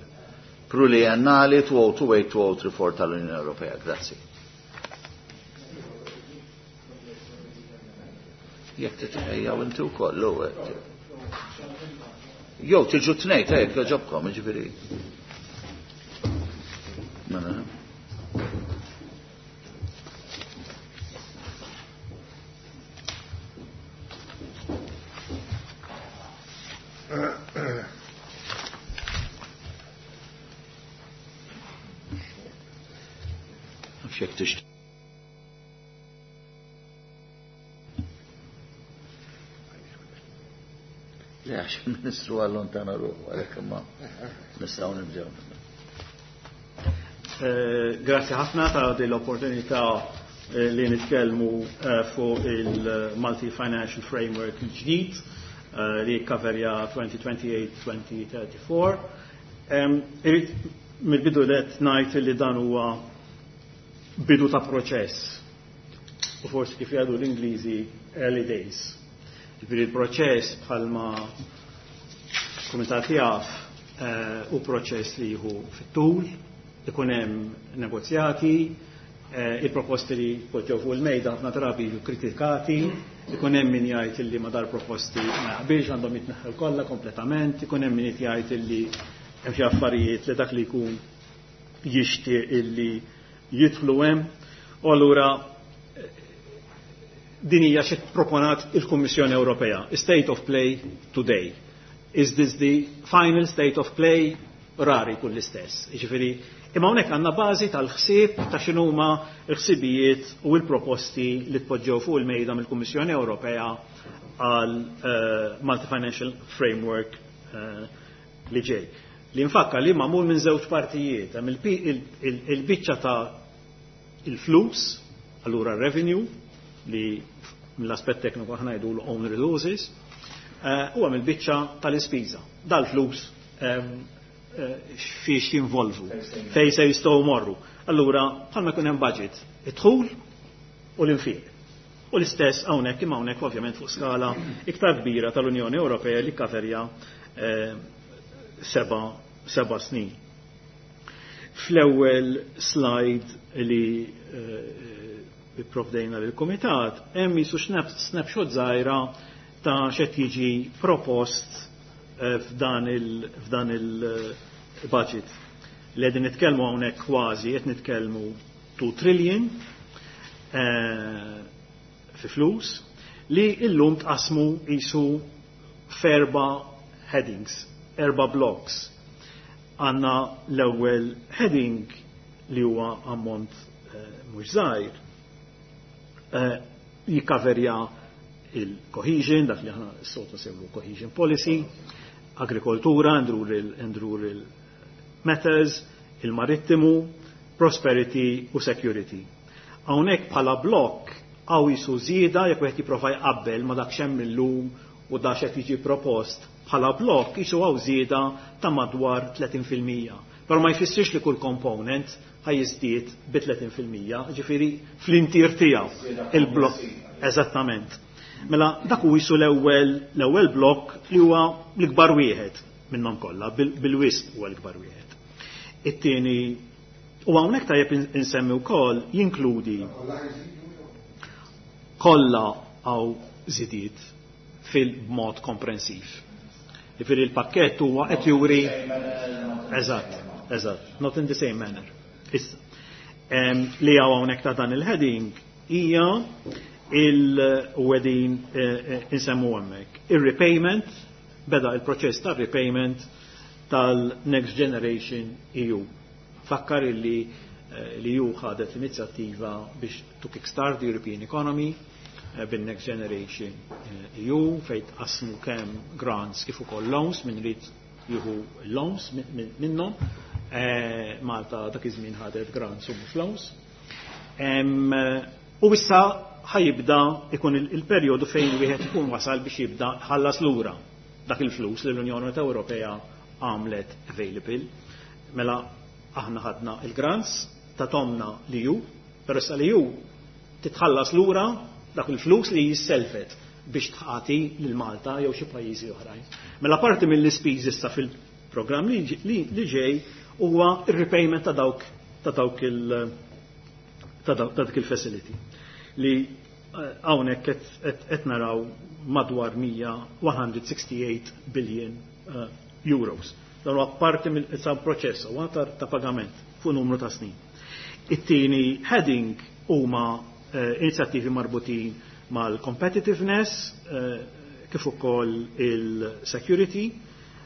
pluriennali two oh two eight two oh three four tal-Unjoni Ewropea. Grazzi. Jekk titħejjaw inti wkoll, jew tiġu tnejn ta' jekk jogħġobkom, jiġifieri. Mela. Le, għax il-Ministru għallontana ruħu, għalhekk imma nistgħu nibdew. Grazie ħafna ta' din l-opportunità li nitkellmu fuq il-Multi Financial Framework il-ġdid li jikkaverja twenty twenty-eight twenty thirty-four. Irrid mill-bidu let ngħid li dan huwa bidu ta' proċess u forsi kif jgħidu l-Ingliżi early days. Ġifieri il-proċess bħalma kumitat jaf u proċess li jieħu fit-tul, ikun hemm negozjati, il-proposti li poġġew fuq il-mejda ħafna drabi jiġu kritikati, ikun hemm min jgħid illi ma dar proposti ma jaqbilx għandhom jitneħħew kollha kompletament, ikun hemm min jgħid illi hemm xi affarijiet li dak li jkun jixtieq illi jidħlu hemm. U allura din hija xi proponat il-Kummissjoni Ewropea, state of play today. Is this the final state of play? Rari kull l-istess. Jiġifieri, imma hawnhekk għandna bażi tal-ħsieb ta' x'inhuma l-ħsibijiet u l-proposti li tpoġġew fuq il-mejda mill-Kummissjoni Ewropea għal Multi Financial Framework li ġej. Li nfakka li magħmul minn żewġ partijiet, hemm il-biċċa ta' il-flus, allura revenue, li mill-aspett tekniku aħna ngħidu l-own resources, u hemm il-biċċa tal-ispiża. Dal-flus fiex jinvolvu, fej se jistgħu morru. Allura, bħalma jkun hemm budget, id-dħul u l-infiq. U l-istess hawnhekk imma hawnhekk ovvjament fuq skala iktar kbira tal-Unjoni Ewropea li kaverja seba, seba snin. Fl-ewwel slide li eh, provdejna lill-Kumitat hemm jisu snapshot żgħira ta' x'qed jiġi propost eh, f'dan il-f'dan il-budget. Li qegħdin nitkellmu hawnhekk kważi qed nitkellmu two trillion eh, fi flus li illum tqasmu jisu f'erba' headings, erba' blocks. Għanna l-ewwel heading li huwa ammont eh, mhux żgħir eh, jikkaverja il-cohesion, dak li aħna s-soltu nsejħu cohesion policy, agrikoltura and rural, and rural matters, il-marittimu, prosperity u security. Hawnhekk bħala blokk hawn jisu żieda jekk wieħed jipprova jqabbel ma dak x'hemm illum u dak x'qed jiġi propost bħala blokk jisu hawn żieda ta' madwar tletin fil-mija. Però ma jfissirx li kull component ħaj jiżdied bi tletin fil-mija, ġifieri fl-intier tiegħu il-blokk. Eżattament. Mela dak hu jisu l-ewwel l-ewwel blokk li huwa l-ikbar wieħed minnhom kollha, bil-wisq huwa l-ikbar wieħed. It-tieni u hawnhekk tajjeb insemmi wkoll jinkludi kollha hawn żidiet fil-mod komprensiv. Jiġifieri il-pakkett huwa qed juri Eżatt, eżatt, not in the same manner. Issa, li hawn hawnhekk ta' dan il-heading hija il-wedin insemmu hemmhekk. Ir-repayment, beda il-proċess ta' repayment tal-Next Generation E U. Fakkar illi li E U ħadet l-inizjattiva biex to kickstart the European economy bin-Next Generation E U fejn tqassmu kemm grants kif ukoll loans min rid jieħu loans minnhom. Malta dak iż-żmien ħadet grants u mhux loans. U issa ħajibda ikun il-perjodu fejn wieħed ikun wasal biex jibda ħallas lura dak il-flus li l-Unjoni Ewropea għamlet available. Mela aħna ħadna il-grants ta' tomna li ju, però issa li ju titħallas lura dak il-flus li jisselfet biex tħati lil Malta jew xi pajjiżi oħrajn. Mela parti mill-ispiż issa fil-programm li, li, li ġej huwa ir-repayment ta' dawk ta' dawk il ta' dawk ta' dik il-facility li hawnhekk qed naraw madwar mija one hundred sixty-eight billion euros. Dan huwa parti mill-issa proċess huwa ta' pagament fuq numru ta' snin. It-tieni heading huma inizjattivi marbutin mal-competitiveness kif ukoll il-security.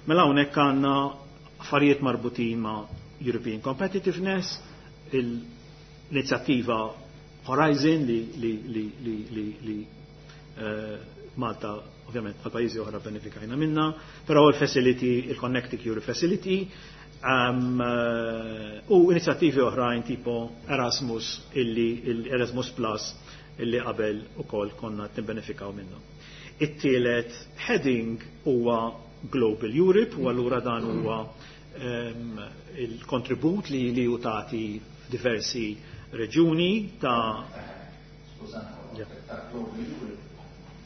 Mela hawnhekk għandna affarijiet marbutin ma' European Competitiveness, l-inizjattiva Horizon li, li, li, li, li, li Malta ovvjament għal pajjiżi oħra benefikajna minna, però il-facility, il-Connecting Europe Facility, um, u inizjattivi oħrajn tipo Erasmus, illi, il-Erasmus Plus illi qabel ukoll konna nibbenefikaw minnu. It-tielet heading huwa Global Europe, u allura dan huwa um, il-kontribut li, li hu tagħti diversi reġuni ta' Skużani, ta' Global Europe,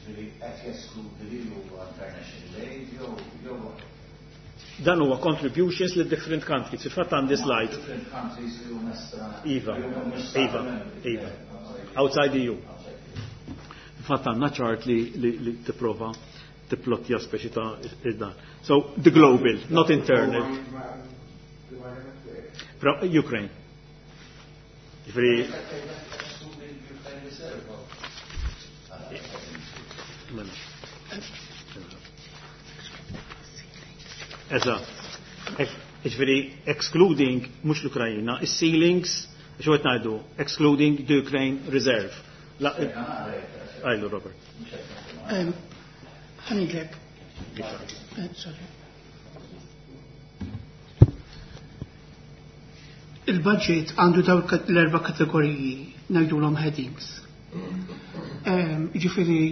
ġifieri qed jeskludi li huwa international aid jew jew Dan huwa contributions li different countries. Fil-fatt għandi slide. Different countries li huma estra. Iva, li huma mhux Iva, stati Iva. membri. Outside E U. Fil-fatt għandna chart li, li, li tipprova tipplottja speċi ta' dan. So the global, not internal. Pro Ukraine. Ġifieri Mela. Eżatt. Ġifieri excluding mhux l-Ukrajina, is-ceilings, xi qed ngħidu, excluding the Ukraine reserve. La, għajlu, Robert. Ħanidlek. Sorry. Il-budget għandu dawk l-erba' kategoriji, ngħidulhom headings. Ġifieri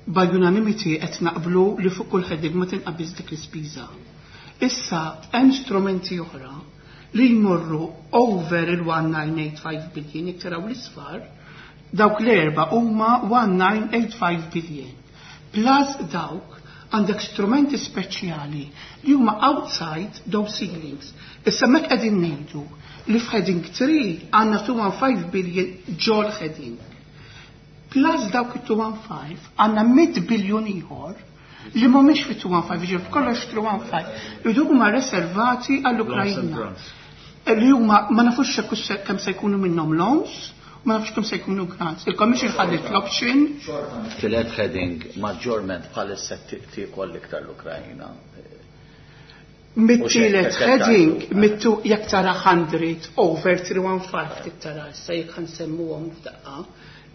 by unanimity qed naqblu li fuq kull heading ma tinqabiż dik l-ispiża. Issa hemm strumenti oħra li jmorru over il-elf u disa' mija u tmenja u ħamsin billion, jekk taraw l-isfar, dawk l-erba huma elf u disa' mija u tmenja u ħamsin billion. Plus dawk għandek strumenti speċjali li huma outside those ceilings. Issa mek qegħdin ngħidu li f'heading tlieta għandna mitt u ħmistax billion ġol heading. Plus dawk it-mitt u ħmistax għandna mitt biljun ieħor li mhumiex fi mitt u ħmistax, jiġifieri f'kollox mitt u ħmistax, li huma reservati għall-Ukrajna. Li huma ma nafux kemm se jkunu minnhom loans, ma nafux kemm se jkunu grants. Il-Commission ħadet l-option. Tielet heading maġġorment bħalissa tiekol iktar l-Ukrajna. Mit-tielet heading, mittu jekk tara mija over tlieta mitt u ħmistax tara issa jekk ħa nsemmuhom f'daqqa,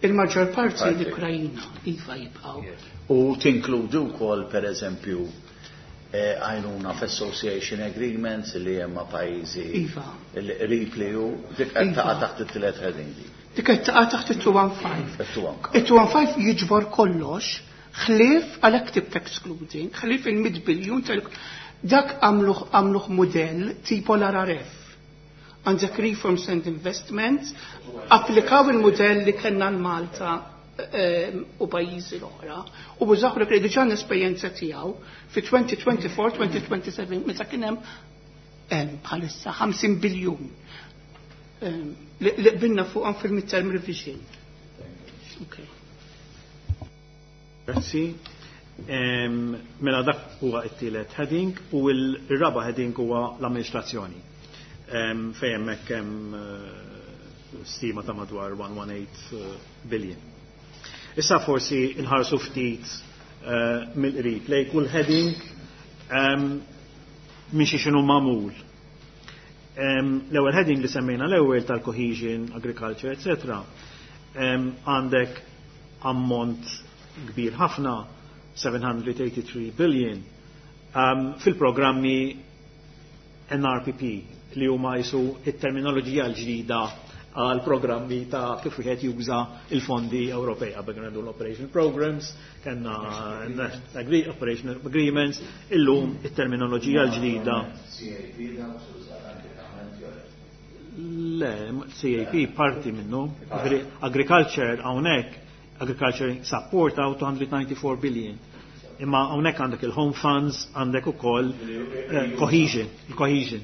il-maġġor parti l-Ukrajina iva jibqgħu. U tinkludu wkoll, pereżempju, eh, għajnuna f'association agreements li hemm ma' pajjiżi Iva. qrib li hu dik qed Iva. taqa' taħt it-tielet heading di. Dik qed taqa' taħt it-mitt u ħmistax. It-mitt u ħmistax. It-mitt u ħmistax jiġbor kollox, ħlief għal tip excluding, ħlief il-mitt biljun tal dak għamluh għamluh modell tipo l-R R F. Għandek Reforms and Investments, applikaw il-modell li kellna l-Malta eh, u pajjiżi l-oħra u bużaħ li diġà l-esperjenza tiegħu fi elfejn u erbgħa u għoxrin-elfejn u seba' u għoxrin meta kien hemm hemm bħalissa ħamsin biljun em, li li qbilna fuqhom fil-midterm revision. Okay. Grazzi. Em, Mela dak huwa t-tielet heading u l-raba heading huwa l-amministrazzjoni. Em, Fejn hemmhekk hemm eh, stima ta' madwar mija u tmintax billion. Issa forsi nħarsu ftit eh, mill-qrib lej kull heading em, minn xi x'inhu magħmul. Em, L-ewwel heading li semmejna l-ewwel tal-cohesion, agriculture, et cetera. Em, Għandek ammont kbir ħafna, seba' mija u tmienja u sebgħin billion, um, fil-programmi N R P P li huma jisu it-terminoloġija l-ġdida għal programmi ta' kif wieħed juża il-fondi Ewropej. Qabel kienu għandu l-operational programs, kellna agree, operational agreements, illum it-terminoloġija l-ġdida. Le, C A P parti minnu. Ġifieri, agriculture hawnhekk, agriculture support għaw elf u disa' mija u disgħa u disgħin billion. Imma hawnhekk għandek il-home funds, għandek ukoll eh, cohesion, il-cohesion.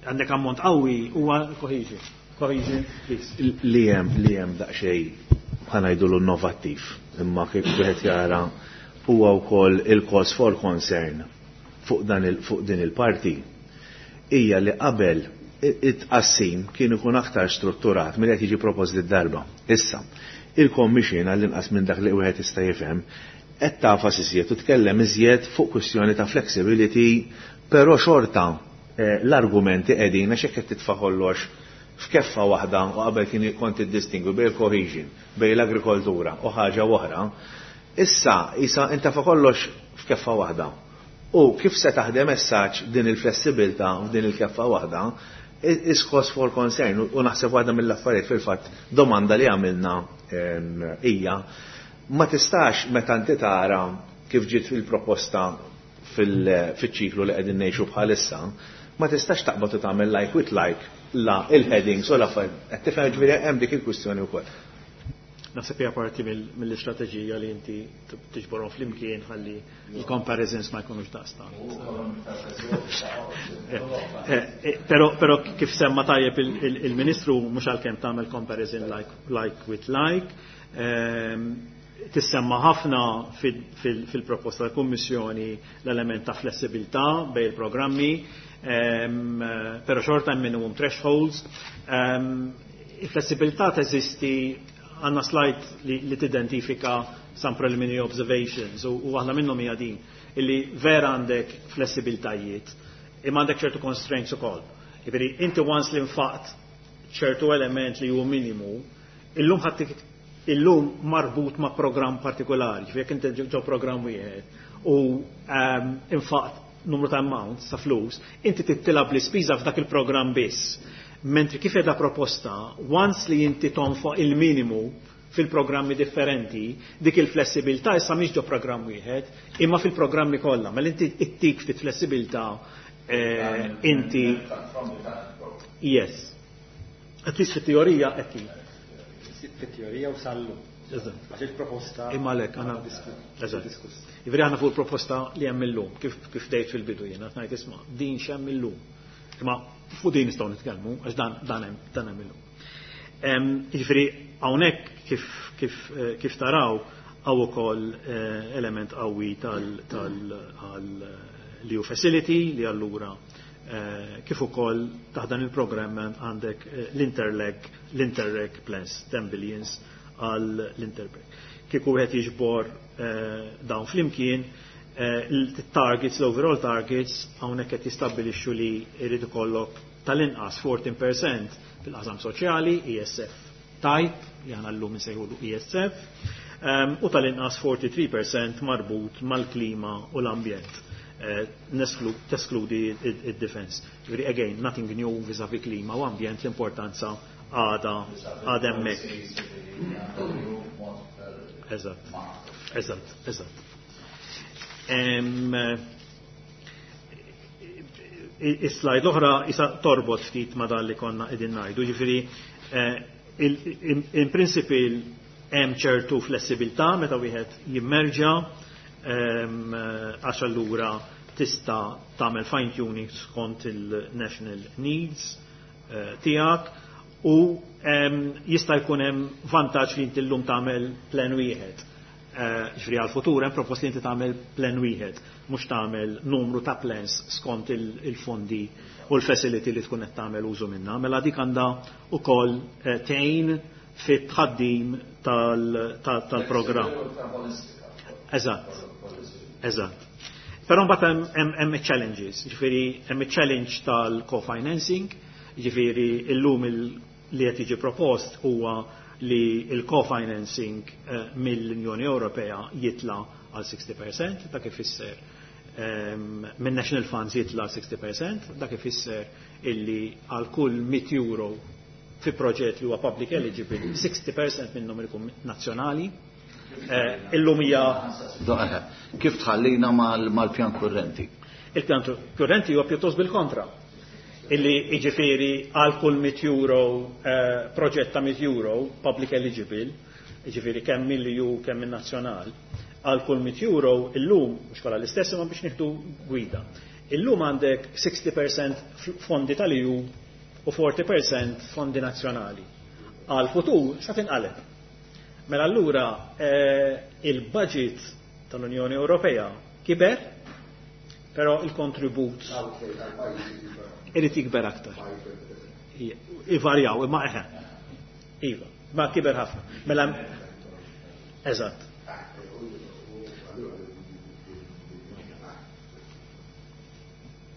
Għandek ammont qawwi huwa cohesion. Cohesion, please. Li hemm li hemm daqsxejn ħa ngħidu innovattiv, imma kif wieħed jara huwa wkoll il-cause for concern fuq dan il, fuq din il-parti hija li qabel it-tqassim kien ikun aktar strutturat milli qed jiġi propost darba. Issa, il-Commission, għall-inqas minn dak li wieħed jista' jifhem, qed tagħfas iżjed u tkellem iżjed fuq kwistjoni ta' flexibility, però xorta eh, l-argumenti qegħdin għax hekk qed titfa' kollox f'keffa waħda u qabel kien kont iddistingwi bejn il-cohesion, bejn l-agrikoltura u ħaġa oħra, issa isa inta kollox f'keffa waħda. U kif se taħdem messaġġ din il-flessibilità f'din il-keffa waħda is cause for concern u naħseb waħda mill-affarijiet, fil-fatt domanda li għamilna hija ma tistax, meta inti tara kif ġiet il-proposta fil-ċiklu li qegħdin ngħixu bħalissa, ma tistax taqbad u tagħmel like with like la il-headings u l-affarijiet. Qed tifhem, ġifieri hemm dik il-kwistjoni wkoll. Naħseb hija parti mill-istrateġija li inti tiġborhom flimkien ħalli il-comparisons ma jkunux daqstant. Però però kif semma tajjeb il-Ministru, mhux għalkemm tagħmel comparison like, like with like, ehm, tissemma ħafna fil-proposta tal-Kummissjoni l-element ta' flessibilità bejn il-programmi, ehm, però xorta hemm minimum thresholds. Ehm, il-flessibilità teżisti, għandna slide li, li tidentifika some preliminary observations u, u waħda minnhom hija din illi vera għandek flessibiltajiet imma għandek ċertu constraints ukoll. Jiġifieri inti once li nfaqt ċertu element li huwa minimu, illum ħadd illum marbut ma' programm partikolari, ġifieri jekk inti ġo programm wieħed u um, infaqt numru ta' amounts ta' flus, inti tittilab l-ispiża f'dak il-programm biss. Mentri kif edha proposta, once li inti tonfoq il-minimu fil-programmi differenti, dik il-flessibilità issa mhix ġo programm wieħed, imma fil-programmi kollha. Mela inti ittik ftit flessibilità eh, inti yes. At least fit-teorija qed Fit-teorija u sal-lum. Għax il-proposta. Imma lek, għana diskuss. Jiġifieri aħna fuq il-proposta li hemm illum, kif kif dejt fil-bidu jiena, ngħid isma' din x'hemm illum. Imma fuq din nistgħu nitkellmu għax dan dan hemm dan hemm illum. Jiġifieri hawnhekk kif kif eh, kif taraw hawn ukoll eh, element qawwi tal tal E U facility li allura eh, kif ukoll taħt dan il-programm għandek l-Interreg, l-Interreg plus ten billions għal l-Interreg. Kieku wieħed jiġbor dawn flimkien, il-targets, l-overall targets, hawnhekk qed jistabbilixxu li jrid ikollok tal-inqas fourteen percent fil-qasam soċjali, E S F type, li aħna llum insejħulu E S F, ehm, u tal-inqas forty-three percent marbut mal-klima u l-ambjent. Eh, nesklu-, teskludi id-defense. Jiġifieri, again, nothing new vis-a-vis klima u ambjent, l-importanza għada għada hemmhekk. Eżatt, eżatt, eżatt. Em, Is-slide l-oħra isa torbot ftit ma dan li konna qegħdin ngħidu, jiġifieri, eh, il-, in, in principle hemm ċertu flessibilità meta wieħed jimmerġa, em, għax allura tista' tagħmel fine tuning skont il-national needs, eh, tiegħek u, em, jista' jkun hemm vantaġġ li inti llum tagħmel plan wieħed. Eh, ġifieri għall-futur hemm propost li inti tagħmel plan wieħed, mhux tagħmel numru ta' plans skont il-, il-fondi u l-facility li tkun qed tagħmel użu minnha. Mela dik għandha wkoll, eh, tgħin fit-tħaddim tal-, tal-, tal-programm. Eżatt, eżatt. Però mbagħad hemm, hemm, hemm challenges, ġifieri hemm challenge tal-co-financing, ġifieri illum il-, li qed jiġi propost huwa li il-co-financing, eh, mill-Unjoni Ewropea jitla għal sixty percent, dak ifisser, ehm, minn National Funds jitla sixty percent, dak ifisser illi għal kull mitt euro fi proġett li huwa public eligible, sixty percent minnhom ikun nazzjonali. Eh, illum hija Doqqa, kif tħallina mal-, mal-pjan kurrenti? Il-pjan kurrenti huwa pjuttost bil-kontra. Illi jiġifieri għal kull mitt euro, eh, proġett ta' mitt euro public eligible, jiġifieri kemm mill-E U kemm min-nazzjonal, għal kull mitt euro illum mhux kollha l-istess imma biex nieħdu gwida. Illum għandek sixty percent f-, fondi tal-E U u forty percent fondi nazzjonali. Għal futur sa tinqaleb. Mela allura, eh, il-budget tal-Unjoni Ewropea kiber, però il-kontribut irid jikber aktar. Ivarjaw, imma eħe. Iva, ma kiber ħafna. Mela, eżatt.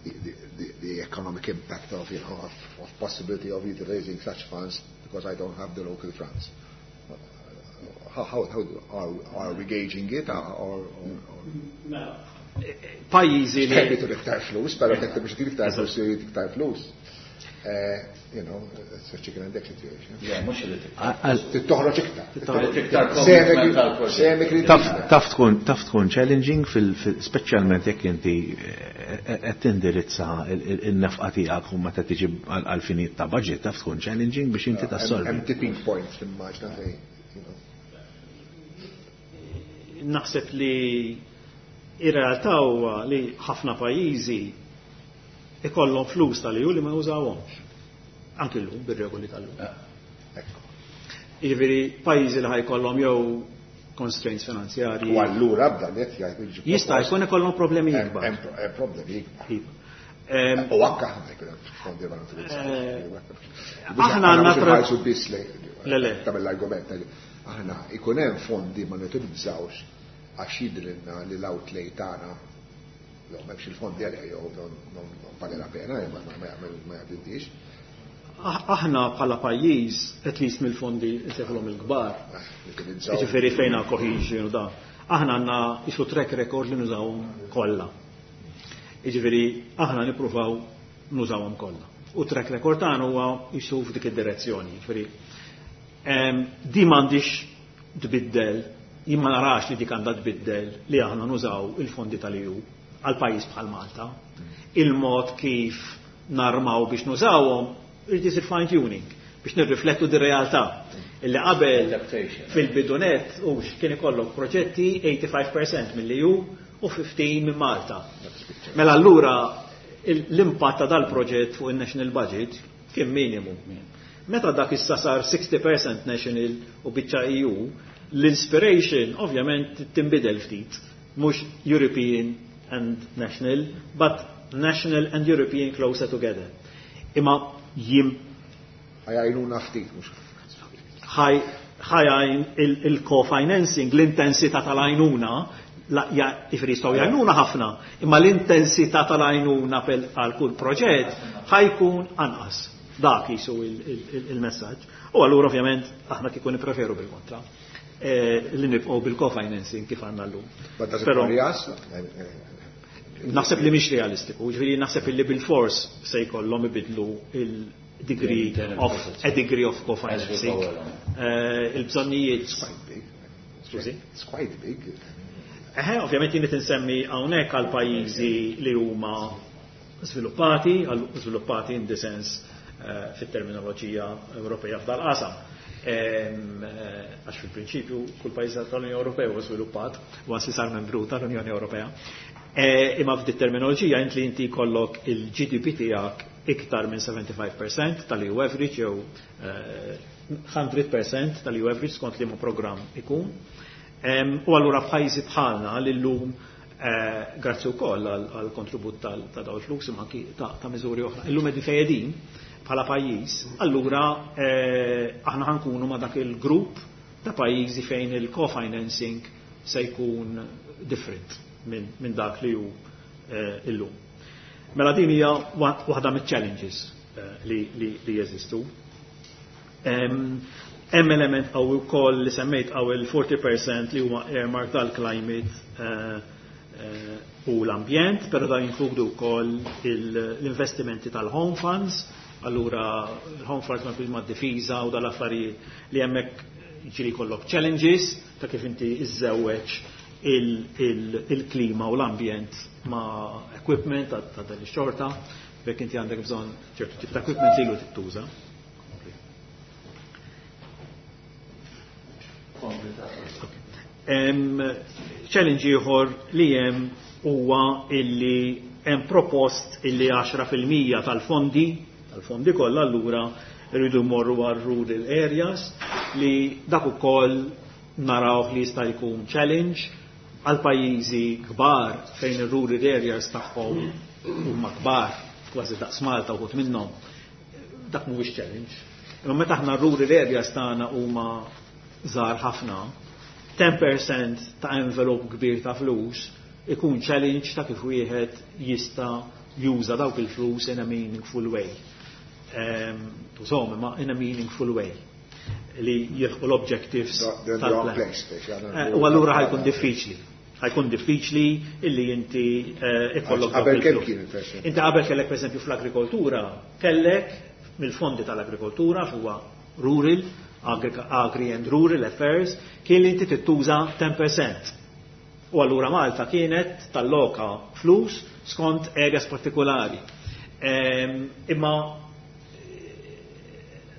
The, the, the economic impact of, you know, of, of possibility of utilizing such funds because I don't have the local funds. How, how, how are, are we gauging it? Or, or, or Mela, pajjiżi li Kemm iktar flus, però jekk biex iktar flus, jrid iktar flus. Eh, you know, it's a chicken and egg situation. Yeah, mhux irid iktar. Għal- Tittoħroġ iktar. Tittoħroġ iktar Semi commitment għal-proġett. semi kritika. Taf, taf tkun, taf tkun challenging fil-, fil-, speċjalment jekk inti, eh, eh, qed tindirizza il-, il-, il-nefqa tiegħek u meta tiġi għal-, għal finit ta' budget, taf tkun challenging biex inti Hemm tassolvi. hemm tipping points fil-maġna fejn, you know. Naħseb li ir-realtà huwa li ħafna pajjiżi ikollhom flus tal-E U li ma jużawhomx. Anki llum bir-regoli tal-lum. Ekku. Jiġifieri pajjiżi li ħajkollhom jew constraints finanzjarji. U allura b'dan qed jgħid jiġi Jista' propost. jkun ikollhom problemi Hemm- ikbar. hemm pro-, hemm problemi ikbar. Iva. Ehm, U anke aħna jkun hemm fondi ma nutilizzawx. Eh, Biex aħna għandna mhux tra- inħarsu biss lejn Le, le. tagħmel l-argument. Aħna ikun hemm fondi ma nutilizzawx għax jidrilna li l-outlay tagħna jew m'hemmx il-fondi għalih jew non, non, non vale la pena, ma, ma, ma jagħmel, ma jgħaddix. Ah, aħna bħala pajjiż, at least mill-fondi nsejħulhom il-kbar, Ah, utilizzaw. jiġifieri fejn hawn cohesion u da. Aħna għandna isu track record li nużawhom kollha. Jiġifieri aħna nippruvaw nużawhom kollha. U track record tagħna huwa isu f'dik id-direzzjoni. Jiġifieri, ehm, di m'għandix tbiddel, jien ma narax li dik għandha tbiddel li aħna nużaw il-fondi tal-E U għal pajjiż bħal Malta. Il-mod kif narmaw biex nużawhom irid isir fine tuning biex nirriflettu di realtà. Illi qabel fil-bidu nett u kien ikollok proġetti eighty-five percent mill-E U u fifteen minn Malta. Mela allura l-impatt ta' dal-proġett fuq il-national budget kien minimu. Meta dak issa sar sixty percent national u biċċa E U, l-inspiration ovvjament tinbidel ftit. Mhux European and national, but national and European closer together. Imma jim Ħa jgħinuna ftit, mhux. Ħa jgħin il-co-financing, l-intensità tal-għajnuna, jiġifieri jistgħu jgħinuna ħafna, imma l-intensità tal-għajnuna għal kull proġett ħa jkun anqas. Dak jisu il-messaġġ. U allura ovvjament aħna kieku nippreferu bil-kontra. Eh, li nibqgħu bil-co-financing kif għandna llum. Però naħseb li mhix realistiku, ġifieri naħseb li bil-fors se jkollhom ibidlu il-degree of a degree of co-financing. Eh, il-bżonnijiet. Skużi? It's quite big. Eħe, ovvjament jien insemmi hawnhekk għal pajjiżi li huma sviluppati, għal sviluppati in the sense eh, fit-terminoloġija Ewropea f'dal-qasam. Eh, għax fil-prinċipju kull pajjiż tal-Unjoni Ewropea huwa sviluppat u għas sar membru tal-Unjoni Ewropea. Eh, imma f'dit terminoloġija int li inti jkollok il-G D P tiegħek iktar minn sebgħa u ħamsin fil-mija tal-E U average jew mija fil-mija tal-E U average skont liema programm ikun. U allura f'pajjiżi bħalna li llum, eh, grazzi wkoll għal kontribut ta' dawn il-flus imma anki ta' miżuri oħra, illum qegħdin fejn bħala pajjiż, allura eh, aħna ħa nkunu ma' dak il-grupp ta' pajjiżi fejn il-co-financing se jkun different minn min dak li hu eh, illum. Mela din hija waħda miċ-challenges eh, li, li, li jeżistu. Hemm element qawwi wkoll li semmejt għaw il-erbgħin fil-mija li huma earmark tal-climate u l-ambjent, però da jinkludu wkoll l-investimenti tal-home funds. Allura l-home funds ma ma difiża u dal-affarijiet li hemmhekk ġieli jkollok challenges ta' kif inti iżżewweġ il-klima u l-ambjent ma' equipment ta' dan ix-xorta, bekk inti għandek bżonn ċertu tip ta' equipment li ilu tittuża. Challenge ieħor li hemm huwa illi hemm propost illi għaxra fil-mija tal-fondi tal-fondi kollha allura rridu jmorru għal rural areas, li dak ukoll naraw li jista' jkun challenge għal pajjiżi kbar fejn ir-rural areas tagħhom huma kbar kważi daqs Malta uħud minnhom. Dak mhuwiex challenge. Imma meta aħna rural areas tagħna huma żgħar ħafna, għaxra fil-mija ta' envelope kbir ta' flus ikun challenge ta' kif wieħed jista' juża dawk il-flus in a meaningful way. Tużhom imma in a meaningful way li jilħqu l-objectives tal-plan. Eh, u allura ħa jkun diffiċli. Ħa jkun diffiċli illi inti eh, ikollok. Qabel kemm kien? Inti qabel kellek, pereżempju, fl-agrikoltura, kellek mill-fondi tal-agrikoltura huwa rural, agri and rural affairs, kien li inti tittuża għaxra fil-mija. U allura Malta kienet talloka flus skont areas partikolari. Imma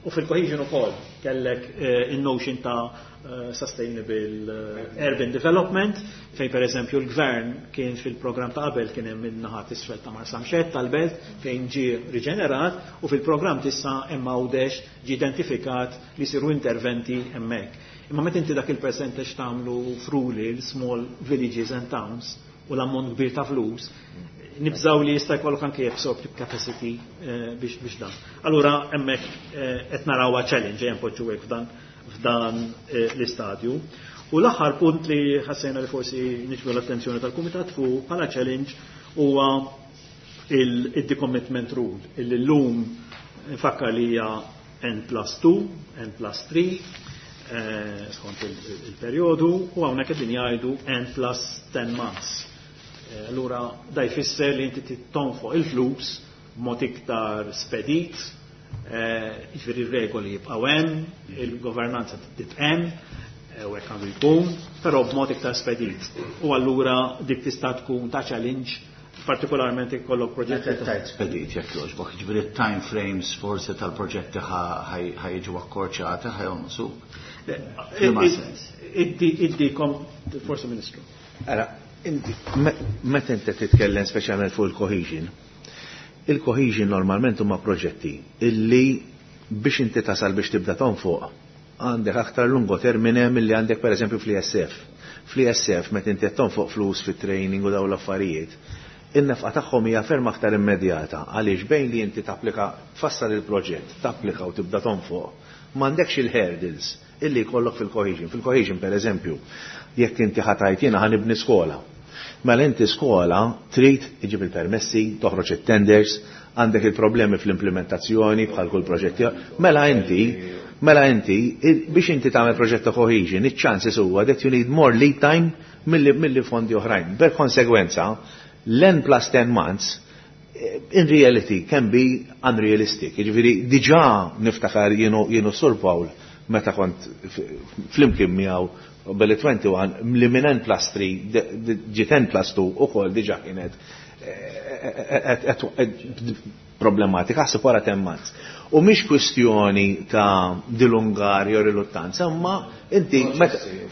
u fil-cohesion ukoll kellek eh, in-notion ta' eh, sustainable eh, urban development, fejn per eżempju l-gvern kien fil-programm ta' qabel kien hemm in-naħa t'isfel ta' Marsamxett tal-belt fejn ġie riġenerat u fil-programm t'issa hemm Għawdex ġie identifikat li siru interventi hemmhekk. Imma meta inti dak il-percentage tagħmlu f'rural, small villages and towns u l-ammont kbir ta' flus, nibżaw li jista' jkollok anke absorptive capacity eh, biex biex dan. Allura hemmhekk eh, qed narawha challenge hemm poġġu hekk f'dan f'dan eh, l-istadju. U l-aħħar punt li ħassejna li forsi niġbdu l-attenzjoni tal-Kumitat fuq bħala challenge huwa il-decommitment rule, illi llum nfakkar li hija N plus two, N plus three, skont il-perjodu, u hawnhekk qegħdin jgħidu N plus ten months. Eh, allura da jfisser li inti tonfoq il-flus b'mod iktar spedit, eh, jiġifieri regoli jibqgħu hemm, il-governanza tibqa' hemm, eh, u hekk għandu jkun, però b'mod iktar spedit. U allura dik tista' tkun ta' challenge. Partikolarment ikollok proġetti. Tajt spedit jekk jogħġbok, jiġifieri time frames forsi tal-proġetti ħa jiġu akkorċati, ħa jonqsu. F'liema sens? Iddi iddikom forsi, Ministru. Ara, inti meta inti titkellem speċjalment fuq il-cohesion, il-cohesion normalment huma proġetti illi biex inti tasal biex tibda tonfoq għandek aktar lungo termine milli għandek per eżempju fl-E S F. Fl-E S F, meta inti tonfoq flus fit-training u dawn l-affarijiet, in-nefqa tagħhom hija ferm aktar immedjata, għaliex bejn li inti tapplika, tfassal il-proġett, tapplika u tibda tonfoq, m'għandekx il-hurdles illi jkollok fil-cohesion. Fil-cohesion, per eżempju, jekk inti ħa tgħid jiena ħa nibni skola. Mela inti skola trid iġib il-permessi, toħroġ it-tenders, għandek il-problemi fl-implementazzjoni bħal kull proġett. Mela inti, mela inti, biex inti tagħmel proġett ta' cohesion, iċ-chances huwa that you need more lead time milli, milli fondi oħrajn. Per konsegwenza, l-N plus ten months eh, in reality can be unrealistic. Jiġifieri diġà niftakar jienu jienu Sur Paul meta kont flimkien miegħu belli wieħed u għoxrin li minn N plus tlieta ġiet N plus tnejn ukoll diġà kienet eh, eh, problematika, ħasib wara ten months. U mhix kwistjoni ta' dilungar jew riluttanza, imma inti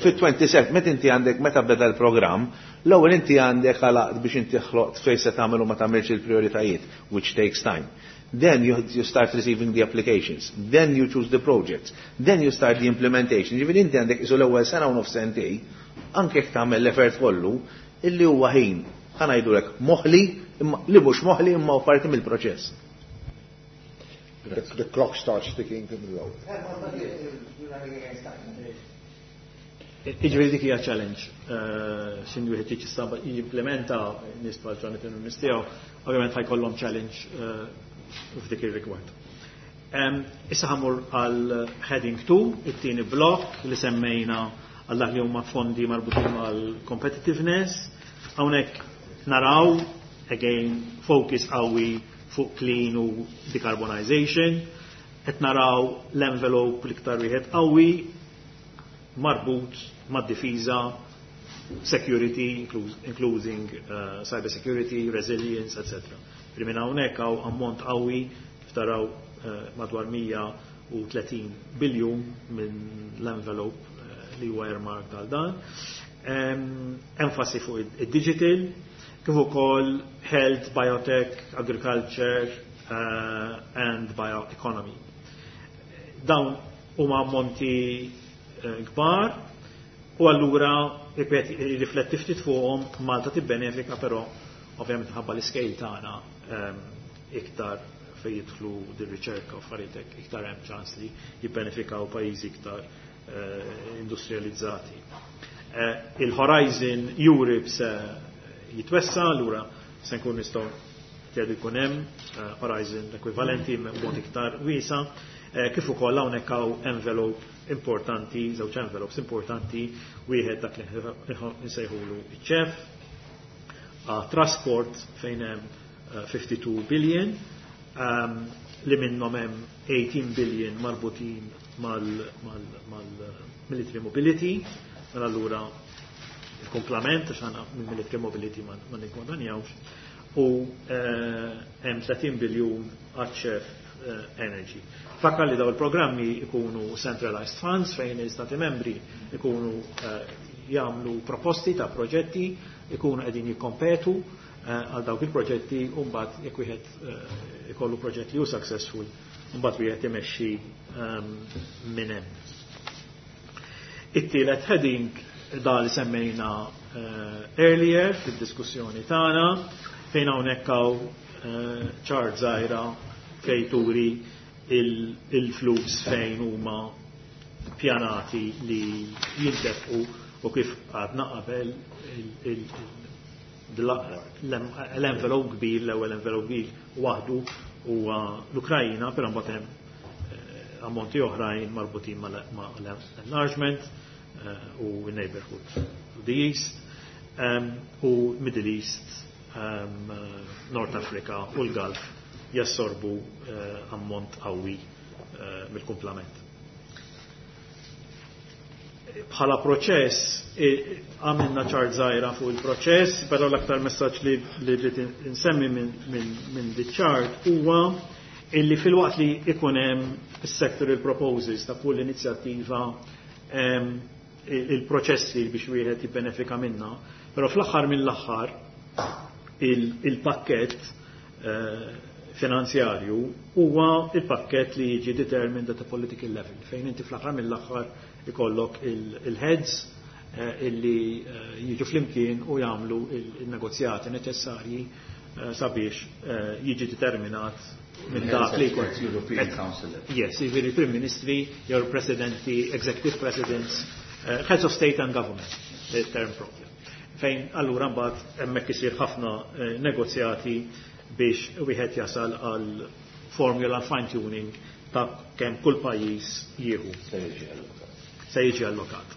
fit-disa u għoxrin meta inti għandek, meta beda l-programm, l-ewwel inti għandek għalaqt biex inti ħloqt fejn se tagħmel u ma tagħmilx il-prioritajiet, which takes time. Then you, you start receiving the applications. Then you choose the projects. Then you start the implementation. Ġifieri inti għandek isu l-ewwel sena u nofs, sentej, anke jekk tagħmel l-effort kollu, illi huwa ħin, ħa ngħidulek moħli, li mhux moħli imma parti mill-proċess. The, the clock starts ticking to the road. Iġifieri dik hija challenge. Xin wieħed jista' jimplementa nies bħal Jonathan u nies tiegħu, ovvjament ħa jkollhom challenge f'dik ir-rigward. Issa ħa mmur għal heading two, it-tieni blok li semmejna għal dak li huma fondi marbutin mal-competitiveness. Hawnhekk naraw again focus qawwi fuq clean u decarbonization. Qed naraw l-envelope l-iktar wieħed qawwi marbut mad-difiża, security, including uh, cyber security, resilience, et cetera. Minn hawnhekk hawn ammont qawwi kif taraw uh, madwar mija u tletin biljun minn l-envelope uh, li huwa earmarked għal dan. Um, enfasi fuq id-digital, kif ukoll health, biotech, agriculture uh, and bioeconomy. Dawn huma ammonti kbar u allura rifletti ftit fuqhom Malta tibbenefika, però ovvjament ħabba l-scale tagħna iktar fejn jidħlu dir-riċerka u affarijiet iktar hemm ċans li jibbenefikaw pajjiżi iktar industrializzati. Il-Horizon Europe se jitwessa, allura se nkun nistgħu tgħidu jkun hemm Horizon ekwivalenti mod iktar wiesa, kif ukoll hawnhekk hawn envelope importanti, żewġ envelopes importanti, wieħed dak li nsejħulu iċ-CEF, trasport fejn hemm tnejn u ħamsin billion, um, li minnhom hemm tmintax billion marbutin mal-military mobility, mela allura il-komplement, għax għandna mill-military mobility ma niggwadanjawx, u hemm tletin biljun għaċ-CEF energy. Fakkar li daw il-programmi ikunu centralized funds fejn l-Istati membri ikunu jagħmlu proposti ta' proġetti, ikunu qegħdin jikkompetu għal dawk il-proġetti, u mbagħad jekk wieħed ikollu proġett li hu successful, mbagħad wieħed imexxi minn hemm. It-tielet heading da li semmejna earlier fid-diskussjoni tagħna, fejn hawnhekk hawn chart żgħira fejn turi il-flus fejn huma pjanati li jintefqu u kif għadna qabel l-envelope kbir, l-ewwel envelope kbir waħdu huwa l-Ukrajina, però mbagħad hemm ammonti oħrajn marbutin mal-enlargement u neighborhood to the East u Middle East, North Africa u l-Gulf jassorbu ammont qawwi mill-kumplament. Bħala proċess, għamilna ċart żgħira fuq il-proċess, però l-aktar messaġġ li li rrid insemmi minn min, min di ċart huwa illi filwaqt li ikun hemm is-sectoral proposals ta' kull inizjattiva, il-proċessi biex wieħed jibbenefika minna, però fl-aħħar mill-aħħar il-pakket finanzjarju huwa il-pakket li jiġi determined at a political level, fejn inti fl-aħħar mill-aħħar ikollok il-heads illi jiġu flimkien u jagħmlu il-negozjati neċessarji sabiex jiġi determinat minn dak li jkun. European Council. Yes, jiġifieri Prim Ministri, jew Presidenti, Executive Presidents, Heads of State and Government, il-term propju. Fejn allura mbagħad hemmhekk isir ħafna negozjati biex wieħed jasal għal formula fine tuning ta' kemm kull pajjiż jieħu. Se jiġi allokat.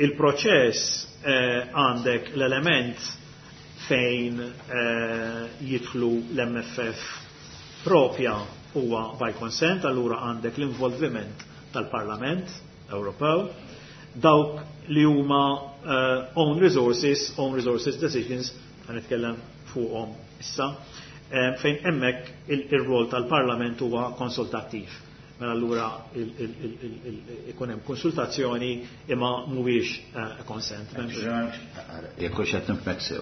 Il-proċess għandek l-element fejn jidħlu l-M F F propja huwa by consent, allura għandek l-involviment tal-Parlament Ewropew, dawk li huma own resources, own resources decisions, ħa nitkellem fuqhom issa, fejn hemmhekk il-rol tal-Parlament huwa konsultattiv. Mela allura ikun hemm konsultazzjoni imma mhuwiex consent. Jekk hux qed nifhmek sew.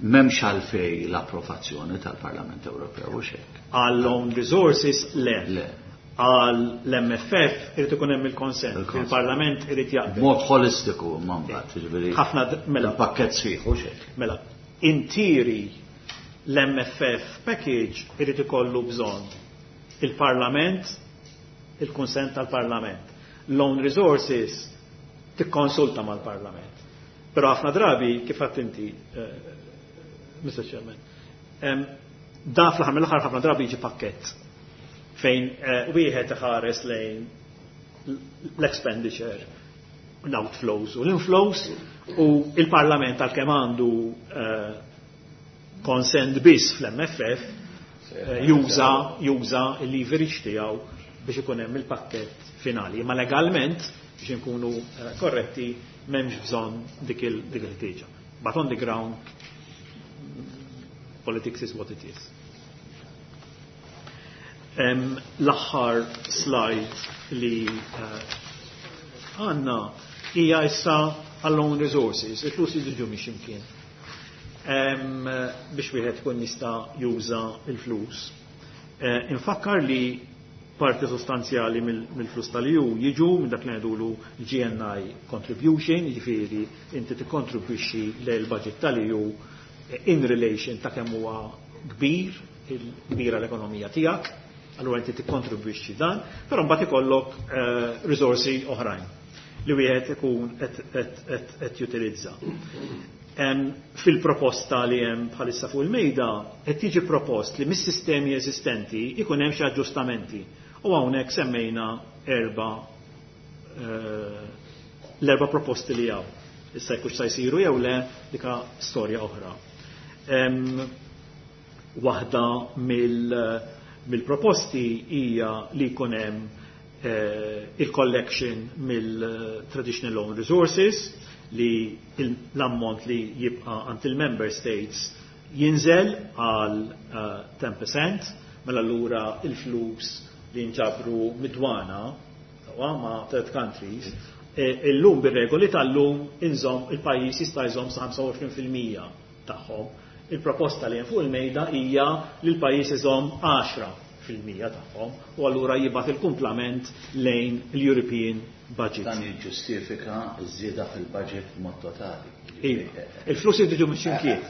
M'hemmx għalfej l-approvazzjoni tal-Parlament Ewropew u xek. Għall own resources le. Le. Għal l-M F F irid ikun hemm il-consent. Il-Parlament irid jaqbel. Mod holistiku mbagħad, jiġifieri. Ħafna mela. Il-pakkett sħiħ u xek. Mela, in theory l-M F F package irid ikollu bżonn il-Parlament, il-konsent tal-Parlament. L-own resources tikkonsulta mal-Parlament. Però ħafna drabi, kif għedt inti, Mister Chairman, da fl-aħħar mill-aħħar ħafna drabi jiġi pakkett fejn wieħed iħares lejn l-expenditure, l-outflows u l-inflows, u il-Parlament għal-kemm għandu consent biss fl-M F F juża juża il-leverage tiegħu biex ikun hemm il-pakkett finali. Ma legalment, biex inkunu korretti, m'hemmx bżonn dik il-ħtieġa. But on the ground, politics is what it is. L-aħħar slide li għandna hija issa għall-own resources, il-flus jiġu minn ximkien. Biex wieħed kun jista' juża il-flus. Infakkar li parti sostanzjali mill-flus tal-E U jiġu minn dak li ngħidulu G N I contribution, jiġifieri inti tikkontribwixxi lejn budget tal-E U in relation ta' kemm huwa kbir, il-kbira l-ekonomija tiegħek, allura inti tikkontribwixxi dan, però mbagħad ikollok risorsi oħrajn li wieħed ikun qed jutilizza. Fil-proposta li hemm bħalissa fuq il-mejda qed tiġi propost li mis-sistemi eżistenti ikun hemm xi aġġustamenti. U hawnhekk semmejna erba l-erba proposti li hawn. Issa jekk se jsiru jew le, dika storja oħra. Waħda mill-proposti hija li jkun hemm il-collection mill-traditional own resources, li l-ammont li jibqa' għand il-member states jinżel għal ten percent, mela allura il-flus li nġabru mid-dwana ma' third countries, illum bir-regoli tal-lum inżomm il-pajjiż jista' jżomm sa ħamsa u għoxrin fil-mija tagħhom. Il-proposta li hemm fuq il-mejda hija li l-pajjiż iżomm għaxra fil-mija tagħhom u allura jibgħat il-kumplament lejn l-European budget. Dan jiġġustifika ż-żieda fil-budget mod totali. Iva. Il-flus jridu minn ximkien.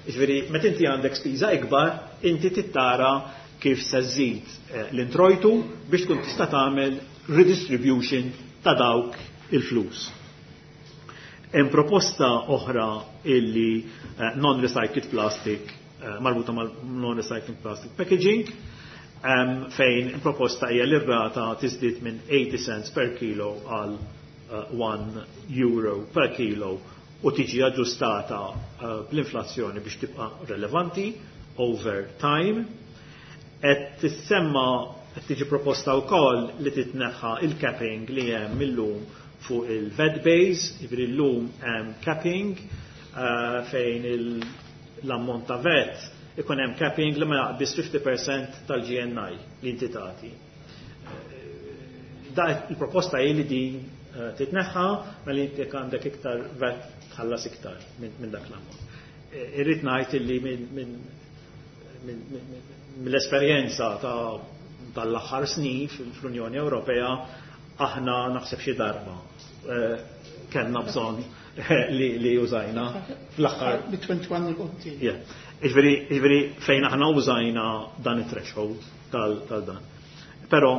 Jiġifieri, meta inti għandek spiża ikbar, inti tittara kif se żżid l-introjtu biex tkun tista' tagħmel redistribution ta' dawk il-flus. Hemm proposta oħra illi non-recycled plastic, marbuta mal non-recycled plastic packaging, fejn proposta hija li r-rata tiżdied minn eighty cents per kilo għal one euro per kilo u tiġi aġġustata bl-inflazzjoni biex tibqa' relevanti over time. Qed tissemma, qed tiġi proposta wkoll li titneħħa il-capping li hemm illum fuq il-V A T base, jiġifieri llum hemm capping uh, fejn l-ammont ta' V A T ikun hemm capping li ma jaqbiż fifty percent tal-G N I li inti tagħti. Da il-proposta hi li din eh, titneħħa, ma li inti għandek iktar V A T tħallas iktar minn dak l-ammont. Eh, irrid ngħid li mill-esperjenza ta' tal-aħħar snin fl-Unjoni Ewropea, aħna naħseb xi darba eh, kellna bżonn li, li użajna fl-aħħar. Bi twenty-one il-quddiem. Ġifieri fejn aħna użajna dan it-threshold tal-dan. Però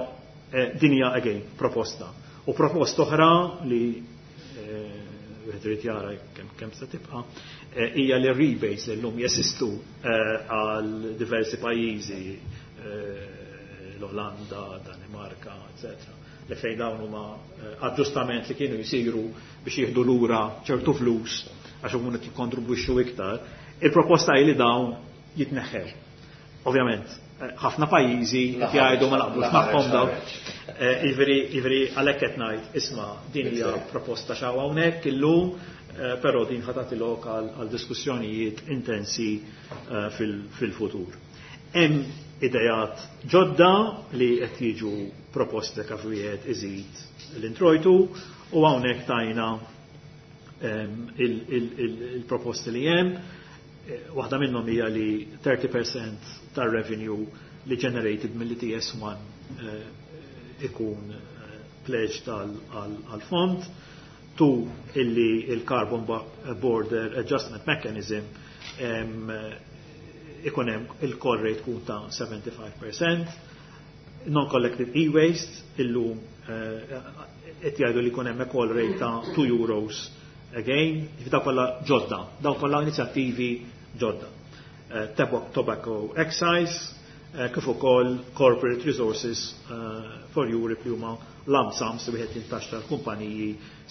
eh, din hija again proposta. U proposta oħra li eh, wieħed irid jara kemm kemm se tibqa' eh, hija li rebates li llum jeżistu għal diversi pajjiżi, l-Olanda, Danimarka, eccetera, li fejn dawn huma aġġustament li kienu jsiru biex jieħdu lura ċertu flus għax huma qed jikkontribwixxu iktar. Il-proposta hi li dawn jitneħħew. Ovvjament, ħafna pajjiżi qed jgħidu ma naqblux magħhom dawn. Jiġifieri jiġifieri għalhekk qed ngħid, isma', din hija proposta xaw hawnhekk illum, però din ħa tagħti lok għal diskussjonijiet intensi fil-futur. Hemm idejat ġodda li qed jiġu proposti kif wieħed iżid l-introjtu u hawnhekk tajna il-proposti li hemm. Waħda minnhom hija li thirty percent tar-revenue li generated mill-E T S one ikun pledged għal-fond. Two, illi il-Carbon Border Adjustment Mechanism ikun hemm il-call rate tkun ta' seventy-five percent. Non-collected e-waste, illum qed jgħidu li jkun hemm call rate ta' two euros again, daw kollha ġodda, daw kollha inizjattivi ġodda. Tobacco excise, kif ukoll corporate resources for Europe li huma lump sums li wieħed jintaxxa l-kumpaniji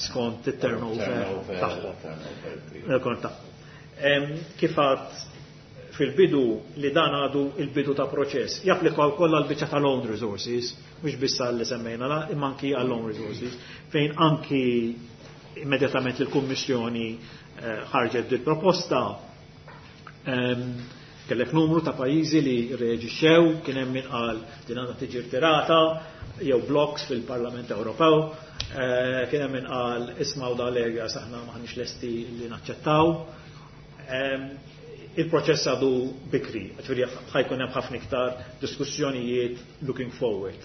skont it-turnover tagħhom. Kif għedt fil-bidu, li dan għadu il-bidu ta' proċess. Japplika wkoll għal biċċa tal-own resources, mhux biss li semmejna la, imma anki għall own resources, fejn anki immedjatament il-Kummissjoni ħarġet dil proposta, kellek numru ta' pajjiżi li reaġixxew, kien hemm min qal din għandha tiġi rtirata, jew blocks fil-Parlament Ewropew, kien hemm min qal, ismgħu, da lega saħna maħniex lesti li naċċettaw. Il-proċess għadu bikri, ġifieri ħa jkun hemm ħafna iktar diskussjonijiet looking forward.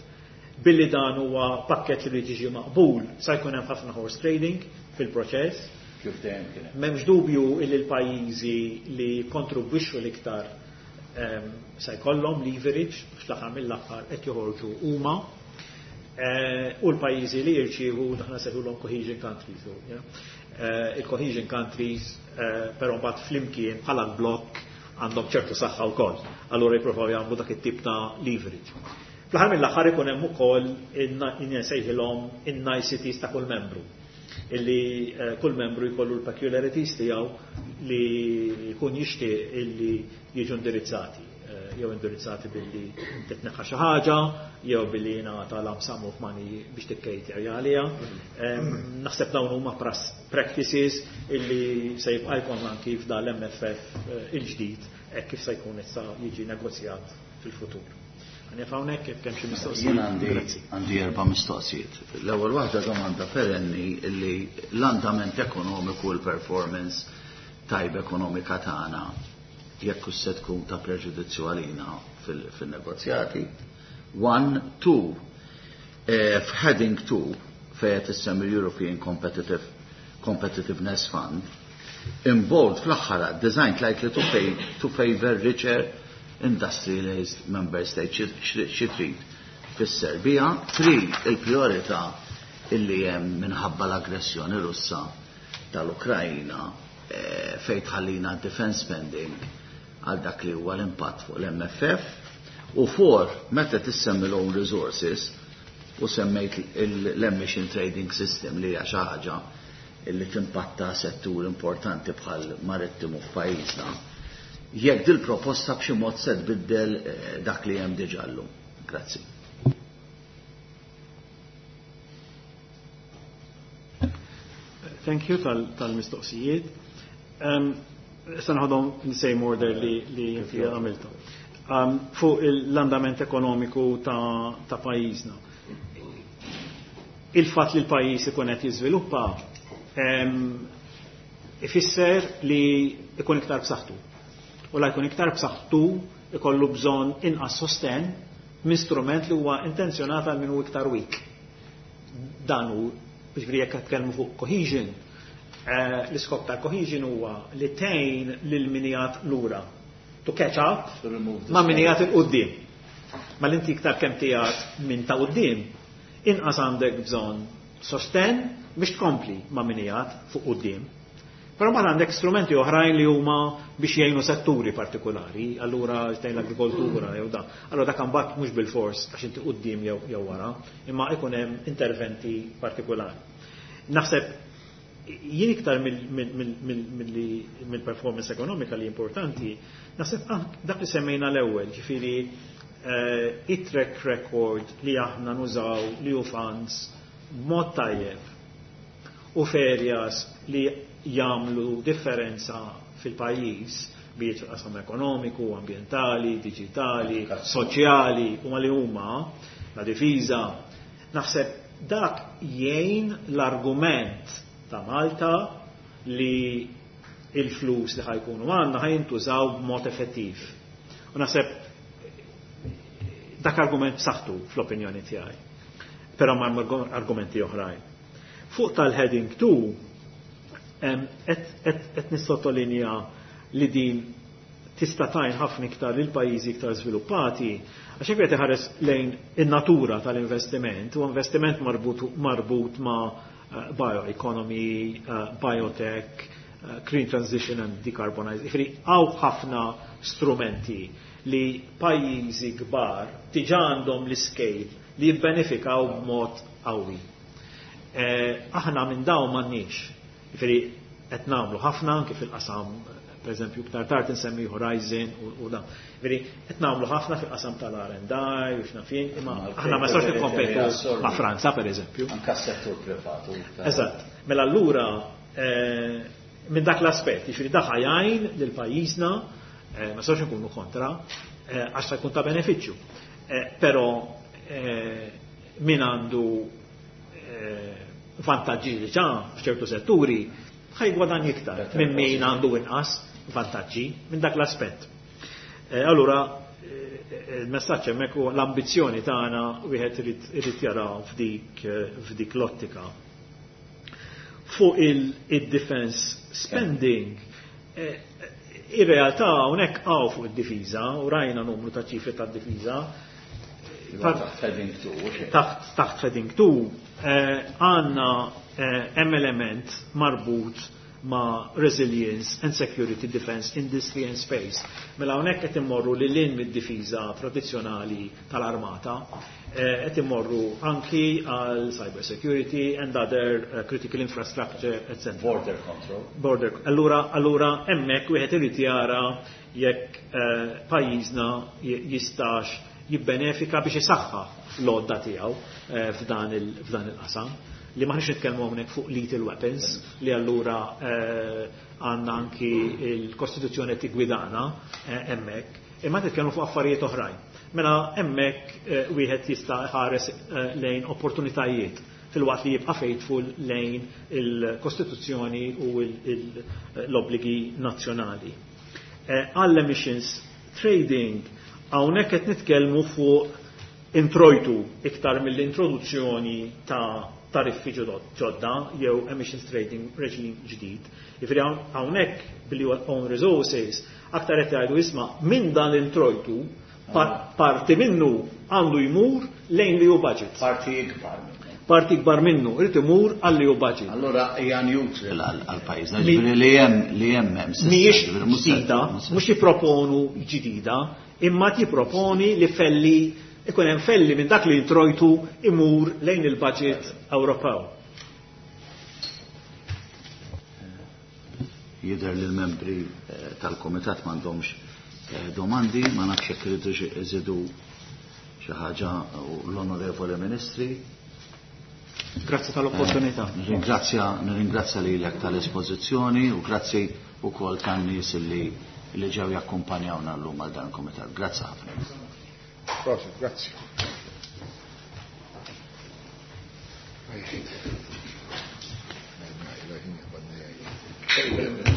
Billi dan huwa pakket li jiġi maqbul, sa jkun hemm ħafna horse trading fil-proċess. Kif dejjem kien. M'hemmx dubju illi l-pajjiżi li kontribwixxu l-iktar se jkollhom leverage biex l-aħħar mill-aħħar qed joħorġu huma. U l-pajjiżi li jirċievu, aħna nsejħulhom cohesion countries. Il-cohesion countries però mbagħad flimkien bħala blokk għandhom ċertu saħħa wkoll. Allura jippruvaw jagħmlu dak it-tip ta' leverage. Fl-aħħar mill-aħħar ikun hemm ukoll insejħilhom in-niceties ta' kull membru, illi kull membru jkollu l-peculiarities tiegħu li jkun jixtieq illi jiġu indirizzati, jew indirizzati billi titneħħa xi ħaġa, jew billi jingħata lump sum of money biex tikkejter għaliha. Naħseb dawn huma practices illi se jibqa' jkollna anki f'dan l-M F F il-ġdid hekk kif se jkun issa jiġi negozjat fil-futur. Ħa nieqaf hawnhekk jekk hemm xi mistoqsijiet. Jien għandi għandi erba' mistoqsijiet. L-ewwel waħda, domanda perenni illi l-andament ekonomiku u l-performance tajba ekonomika tagħna jekk se tkun ta' preġudizzju għalina fil-negozjati. One, two, f'heading two fejn tissemmi European Competitive Competitiveness Fund, in bold fl-aħħar, designed likely to, pay, to favor richer industrialized member states, xi trid tfisser biha? Three, il-priorità illi hemm minħabba l-aggressjoni Russa tal-Ukrajna, fejn tħallina defense spending għal dak li huwa l-impatt fuq l-M F F. U four, meta tissemmi l-own resources u semmejt l-emission trading system li hija xi ħaġa illi timpatta settur importanti bħal marittimu f'pajjiżna, jekk dil proposta b'xi mod se tbiddel dak li hemm diġà llum. Grazzi. Thank you tal-mistoqsijiet. Issa noħodhom in same order li li inti għamiltu. Fuq l-andament ekonomiku ta', ta pajjiżna. Il-fatt li l-pajjiż ikun qed jiżviluppa ifisser li ikun iktar b'saħħtu. U la jkun iktar b'saħħtu ikollu bżonn inqas sosten minn strument li huwa intenzjonat għal min hu iktar weak. Dan hu, jiġifieri, jekk qed tkellmu fuq cohesion, eh, l-iskop tal-cohesion huwa li tgħin lil min qiegħed lura to catch up ma' min qiegħed 'il quddiem. Ma l-inti iktar kemm qiegħed minn ta' quddiem, inqas għandek bżonn sosten biex tkompli ma' min qiegħed fuq quddiem. Però ma għandek strumenti oħrajn li huma biex jgħinu setturi partikolari, allura tgħin l-agrikoltura jew da. Allura dak imbagħad mhux bil-fors għax inti quddiem jew jew wara, imma ikun hemm interventi partikolari. Naħseb jien iktar mill-performance ekonomika li importanti, naħseb dak li semmejna l-ewwel, ġifieri eh, it-track record li aħna nużaw li hu funds b'mod tajjeb u f'areas li jagħmlu differenza fil-pajjiż biet fil-qasam ekonomiku, ambientali, digitali, soċjali, huma li huma la difiża. Naħseb dak jgħin l-argument ta' Malta li il-flus li ħa jkunu għandna ħa jintużaw b'mod effettiv. U naħseb dak argument b'saħħtu fl-opinjoni tiegħi. Però ma' argumenti oħrajn. Fuq tal-heading two, qed nissottolinja li din tista' tgħin ħafna iktar lil pajjiżi iktar żviluppati, għax jekk qed iħares lejn in-natura tal-investiment, u investiment marbut, marbut ma' eh, bioeconomy, eh, biotech, eh, green transition and decarbonization. Jiġifieri hawn ħafna strumenti li pajjiżi kbar diġà għandhom l-scale li jibbenefikaw b'mod qawwi. Aħna minn dawn m'għandniex. Jiġifieri qed nagħmlu ħafna anke fil-qasam, per eżempju, iktar tard insemmi Horizon u da. Jiġifieri qed nagħmlu ħafna fil-qasam tal-R and I u x'naf jien, imma aħna ma nistgħux nikkompetu ma' Franza, per eżempju. Anka settur privatu. Eżatt. Mela allura eh, minn dak l-aspett, jiġifieri dak jgħin lil pajjiżna, eh, ma nistgħux nkunu kontra, eh, għax ta' jkun ta' benefiċċju. Però min għandu vantaġġi diġà f'ċertu setturi ħa jiggwadanja iktar minn min għandu inqas vantaġġi minn dak l-aspett. Allura il-messaġġ hemmhekk huwa l-ambizzjoni tagħna wieħed irid jara f'dik f'dik l-ottika. Fuq il-defense spending, ir-realtà hawnhekk hawn fuq id-difiża u rajna numru ta' ċifri tad-difiża. Taħt heading two. Taħt taħt heading two għandna hemm element marbut ma' resilience and security, defense, industry and space. Mela hawnhekk qed immorru lil hinn mid-difiża tradizzjonali tal-armata, qed immorru anki għal cyber security and other uh, critical infrastructure, et cetera. Border control. Border. Allura, allura hemmhekk wieħed irid jara jekk uh, pajjiżna jistax jibbenefika biex isaħħaħ l-għodda tiegħu uh, f'dan il-qasam li m'aħniex nitkellmu hawnhekk fuq lethal weapons li allura għandna anki il-Kostituzzjoni tigwidana hemmhekk, imma nitkellmu fuq affarijiet oħrajn. Mela hemmhekk wieħed jista' ħares lejn opportunitajiet filwaqt li jibqa' faithful lejn il-Kostituzzjoni u l-obbligi nazzjonali. Għall-emissions trading, hawnhekk qed nitkellmu fuq introjtu iktar mill-introduzzjoni ta' tariffi ġodda jew emissions trading regime ġdid. Jiġifieri hawnhekk billi huwa own resources, aktar qed jgħidu, isma', minn dan l-introjtu parti minnu għandu jmur lejn l-E U budget. Parti ikbar minnu. Parti ikbar minnu irid imur għall E U budget. Allura hija neutral għal pajjiż. Ġifieri li hemm li hemm hemm Mhijiex ġdida, mhux jipproponu ġdida, imma tipproponi li felli ikun hemm felli minn dak li introjtu imur lejn il-budget Ewropew. Jidher li l-membri tal-komitat m'għandhomx domandi, ma nafx jekk iridu iżidu xi ħaġa l-onorevoli ministri. Grazzi tal-opportunità. Eh, nirringrazzja nirringrazzja lilek tal-espożizzjoni u grazzi wkoll tan-nies li li ġew jakkumpanjawna llum għal dan il-kumitat. Grazzi ħafna. Prosit, grazzi. Thank you.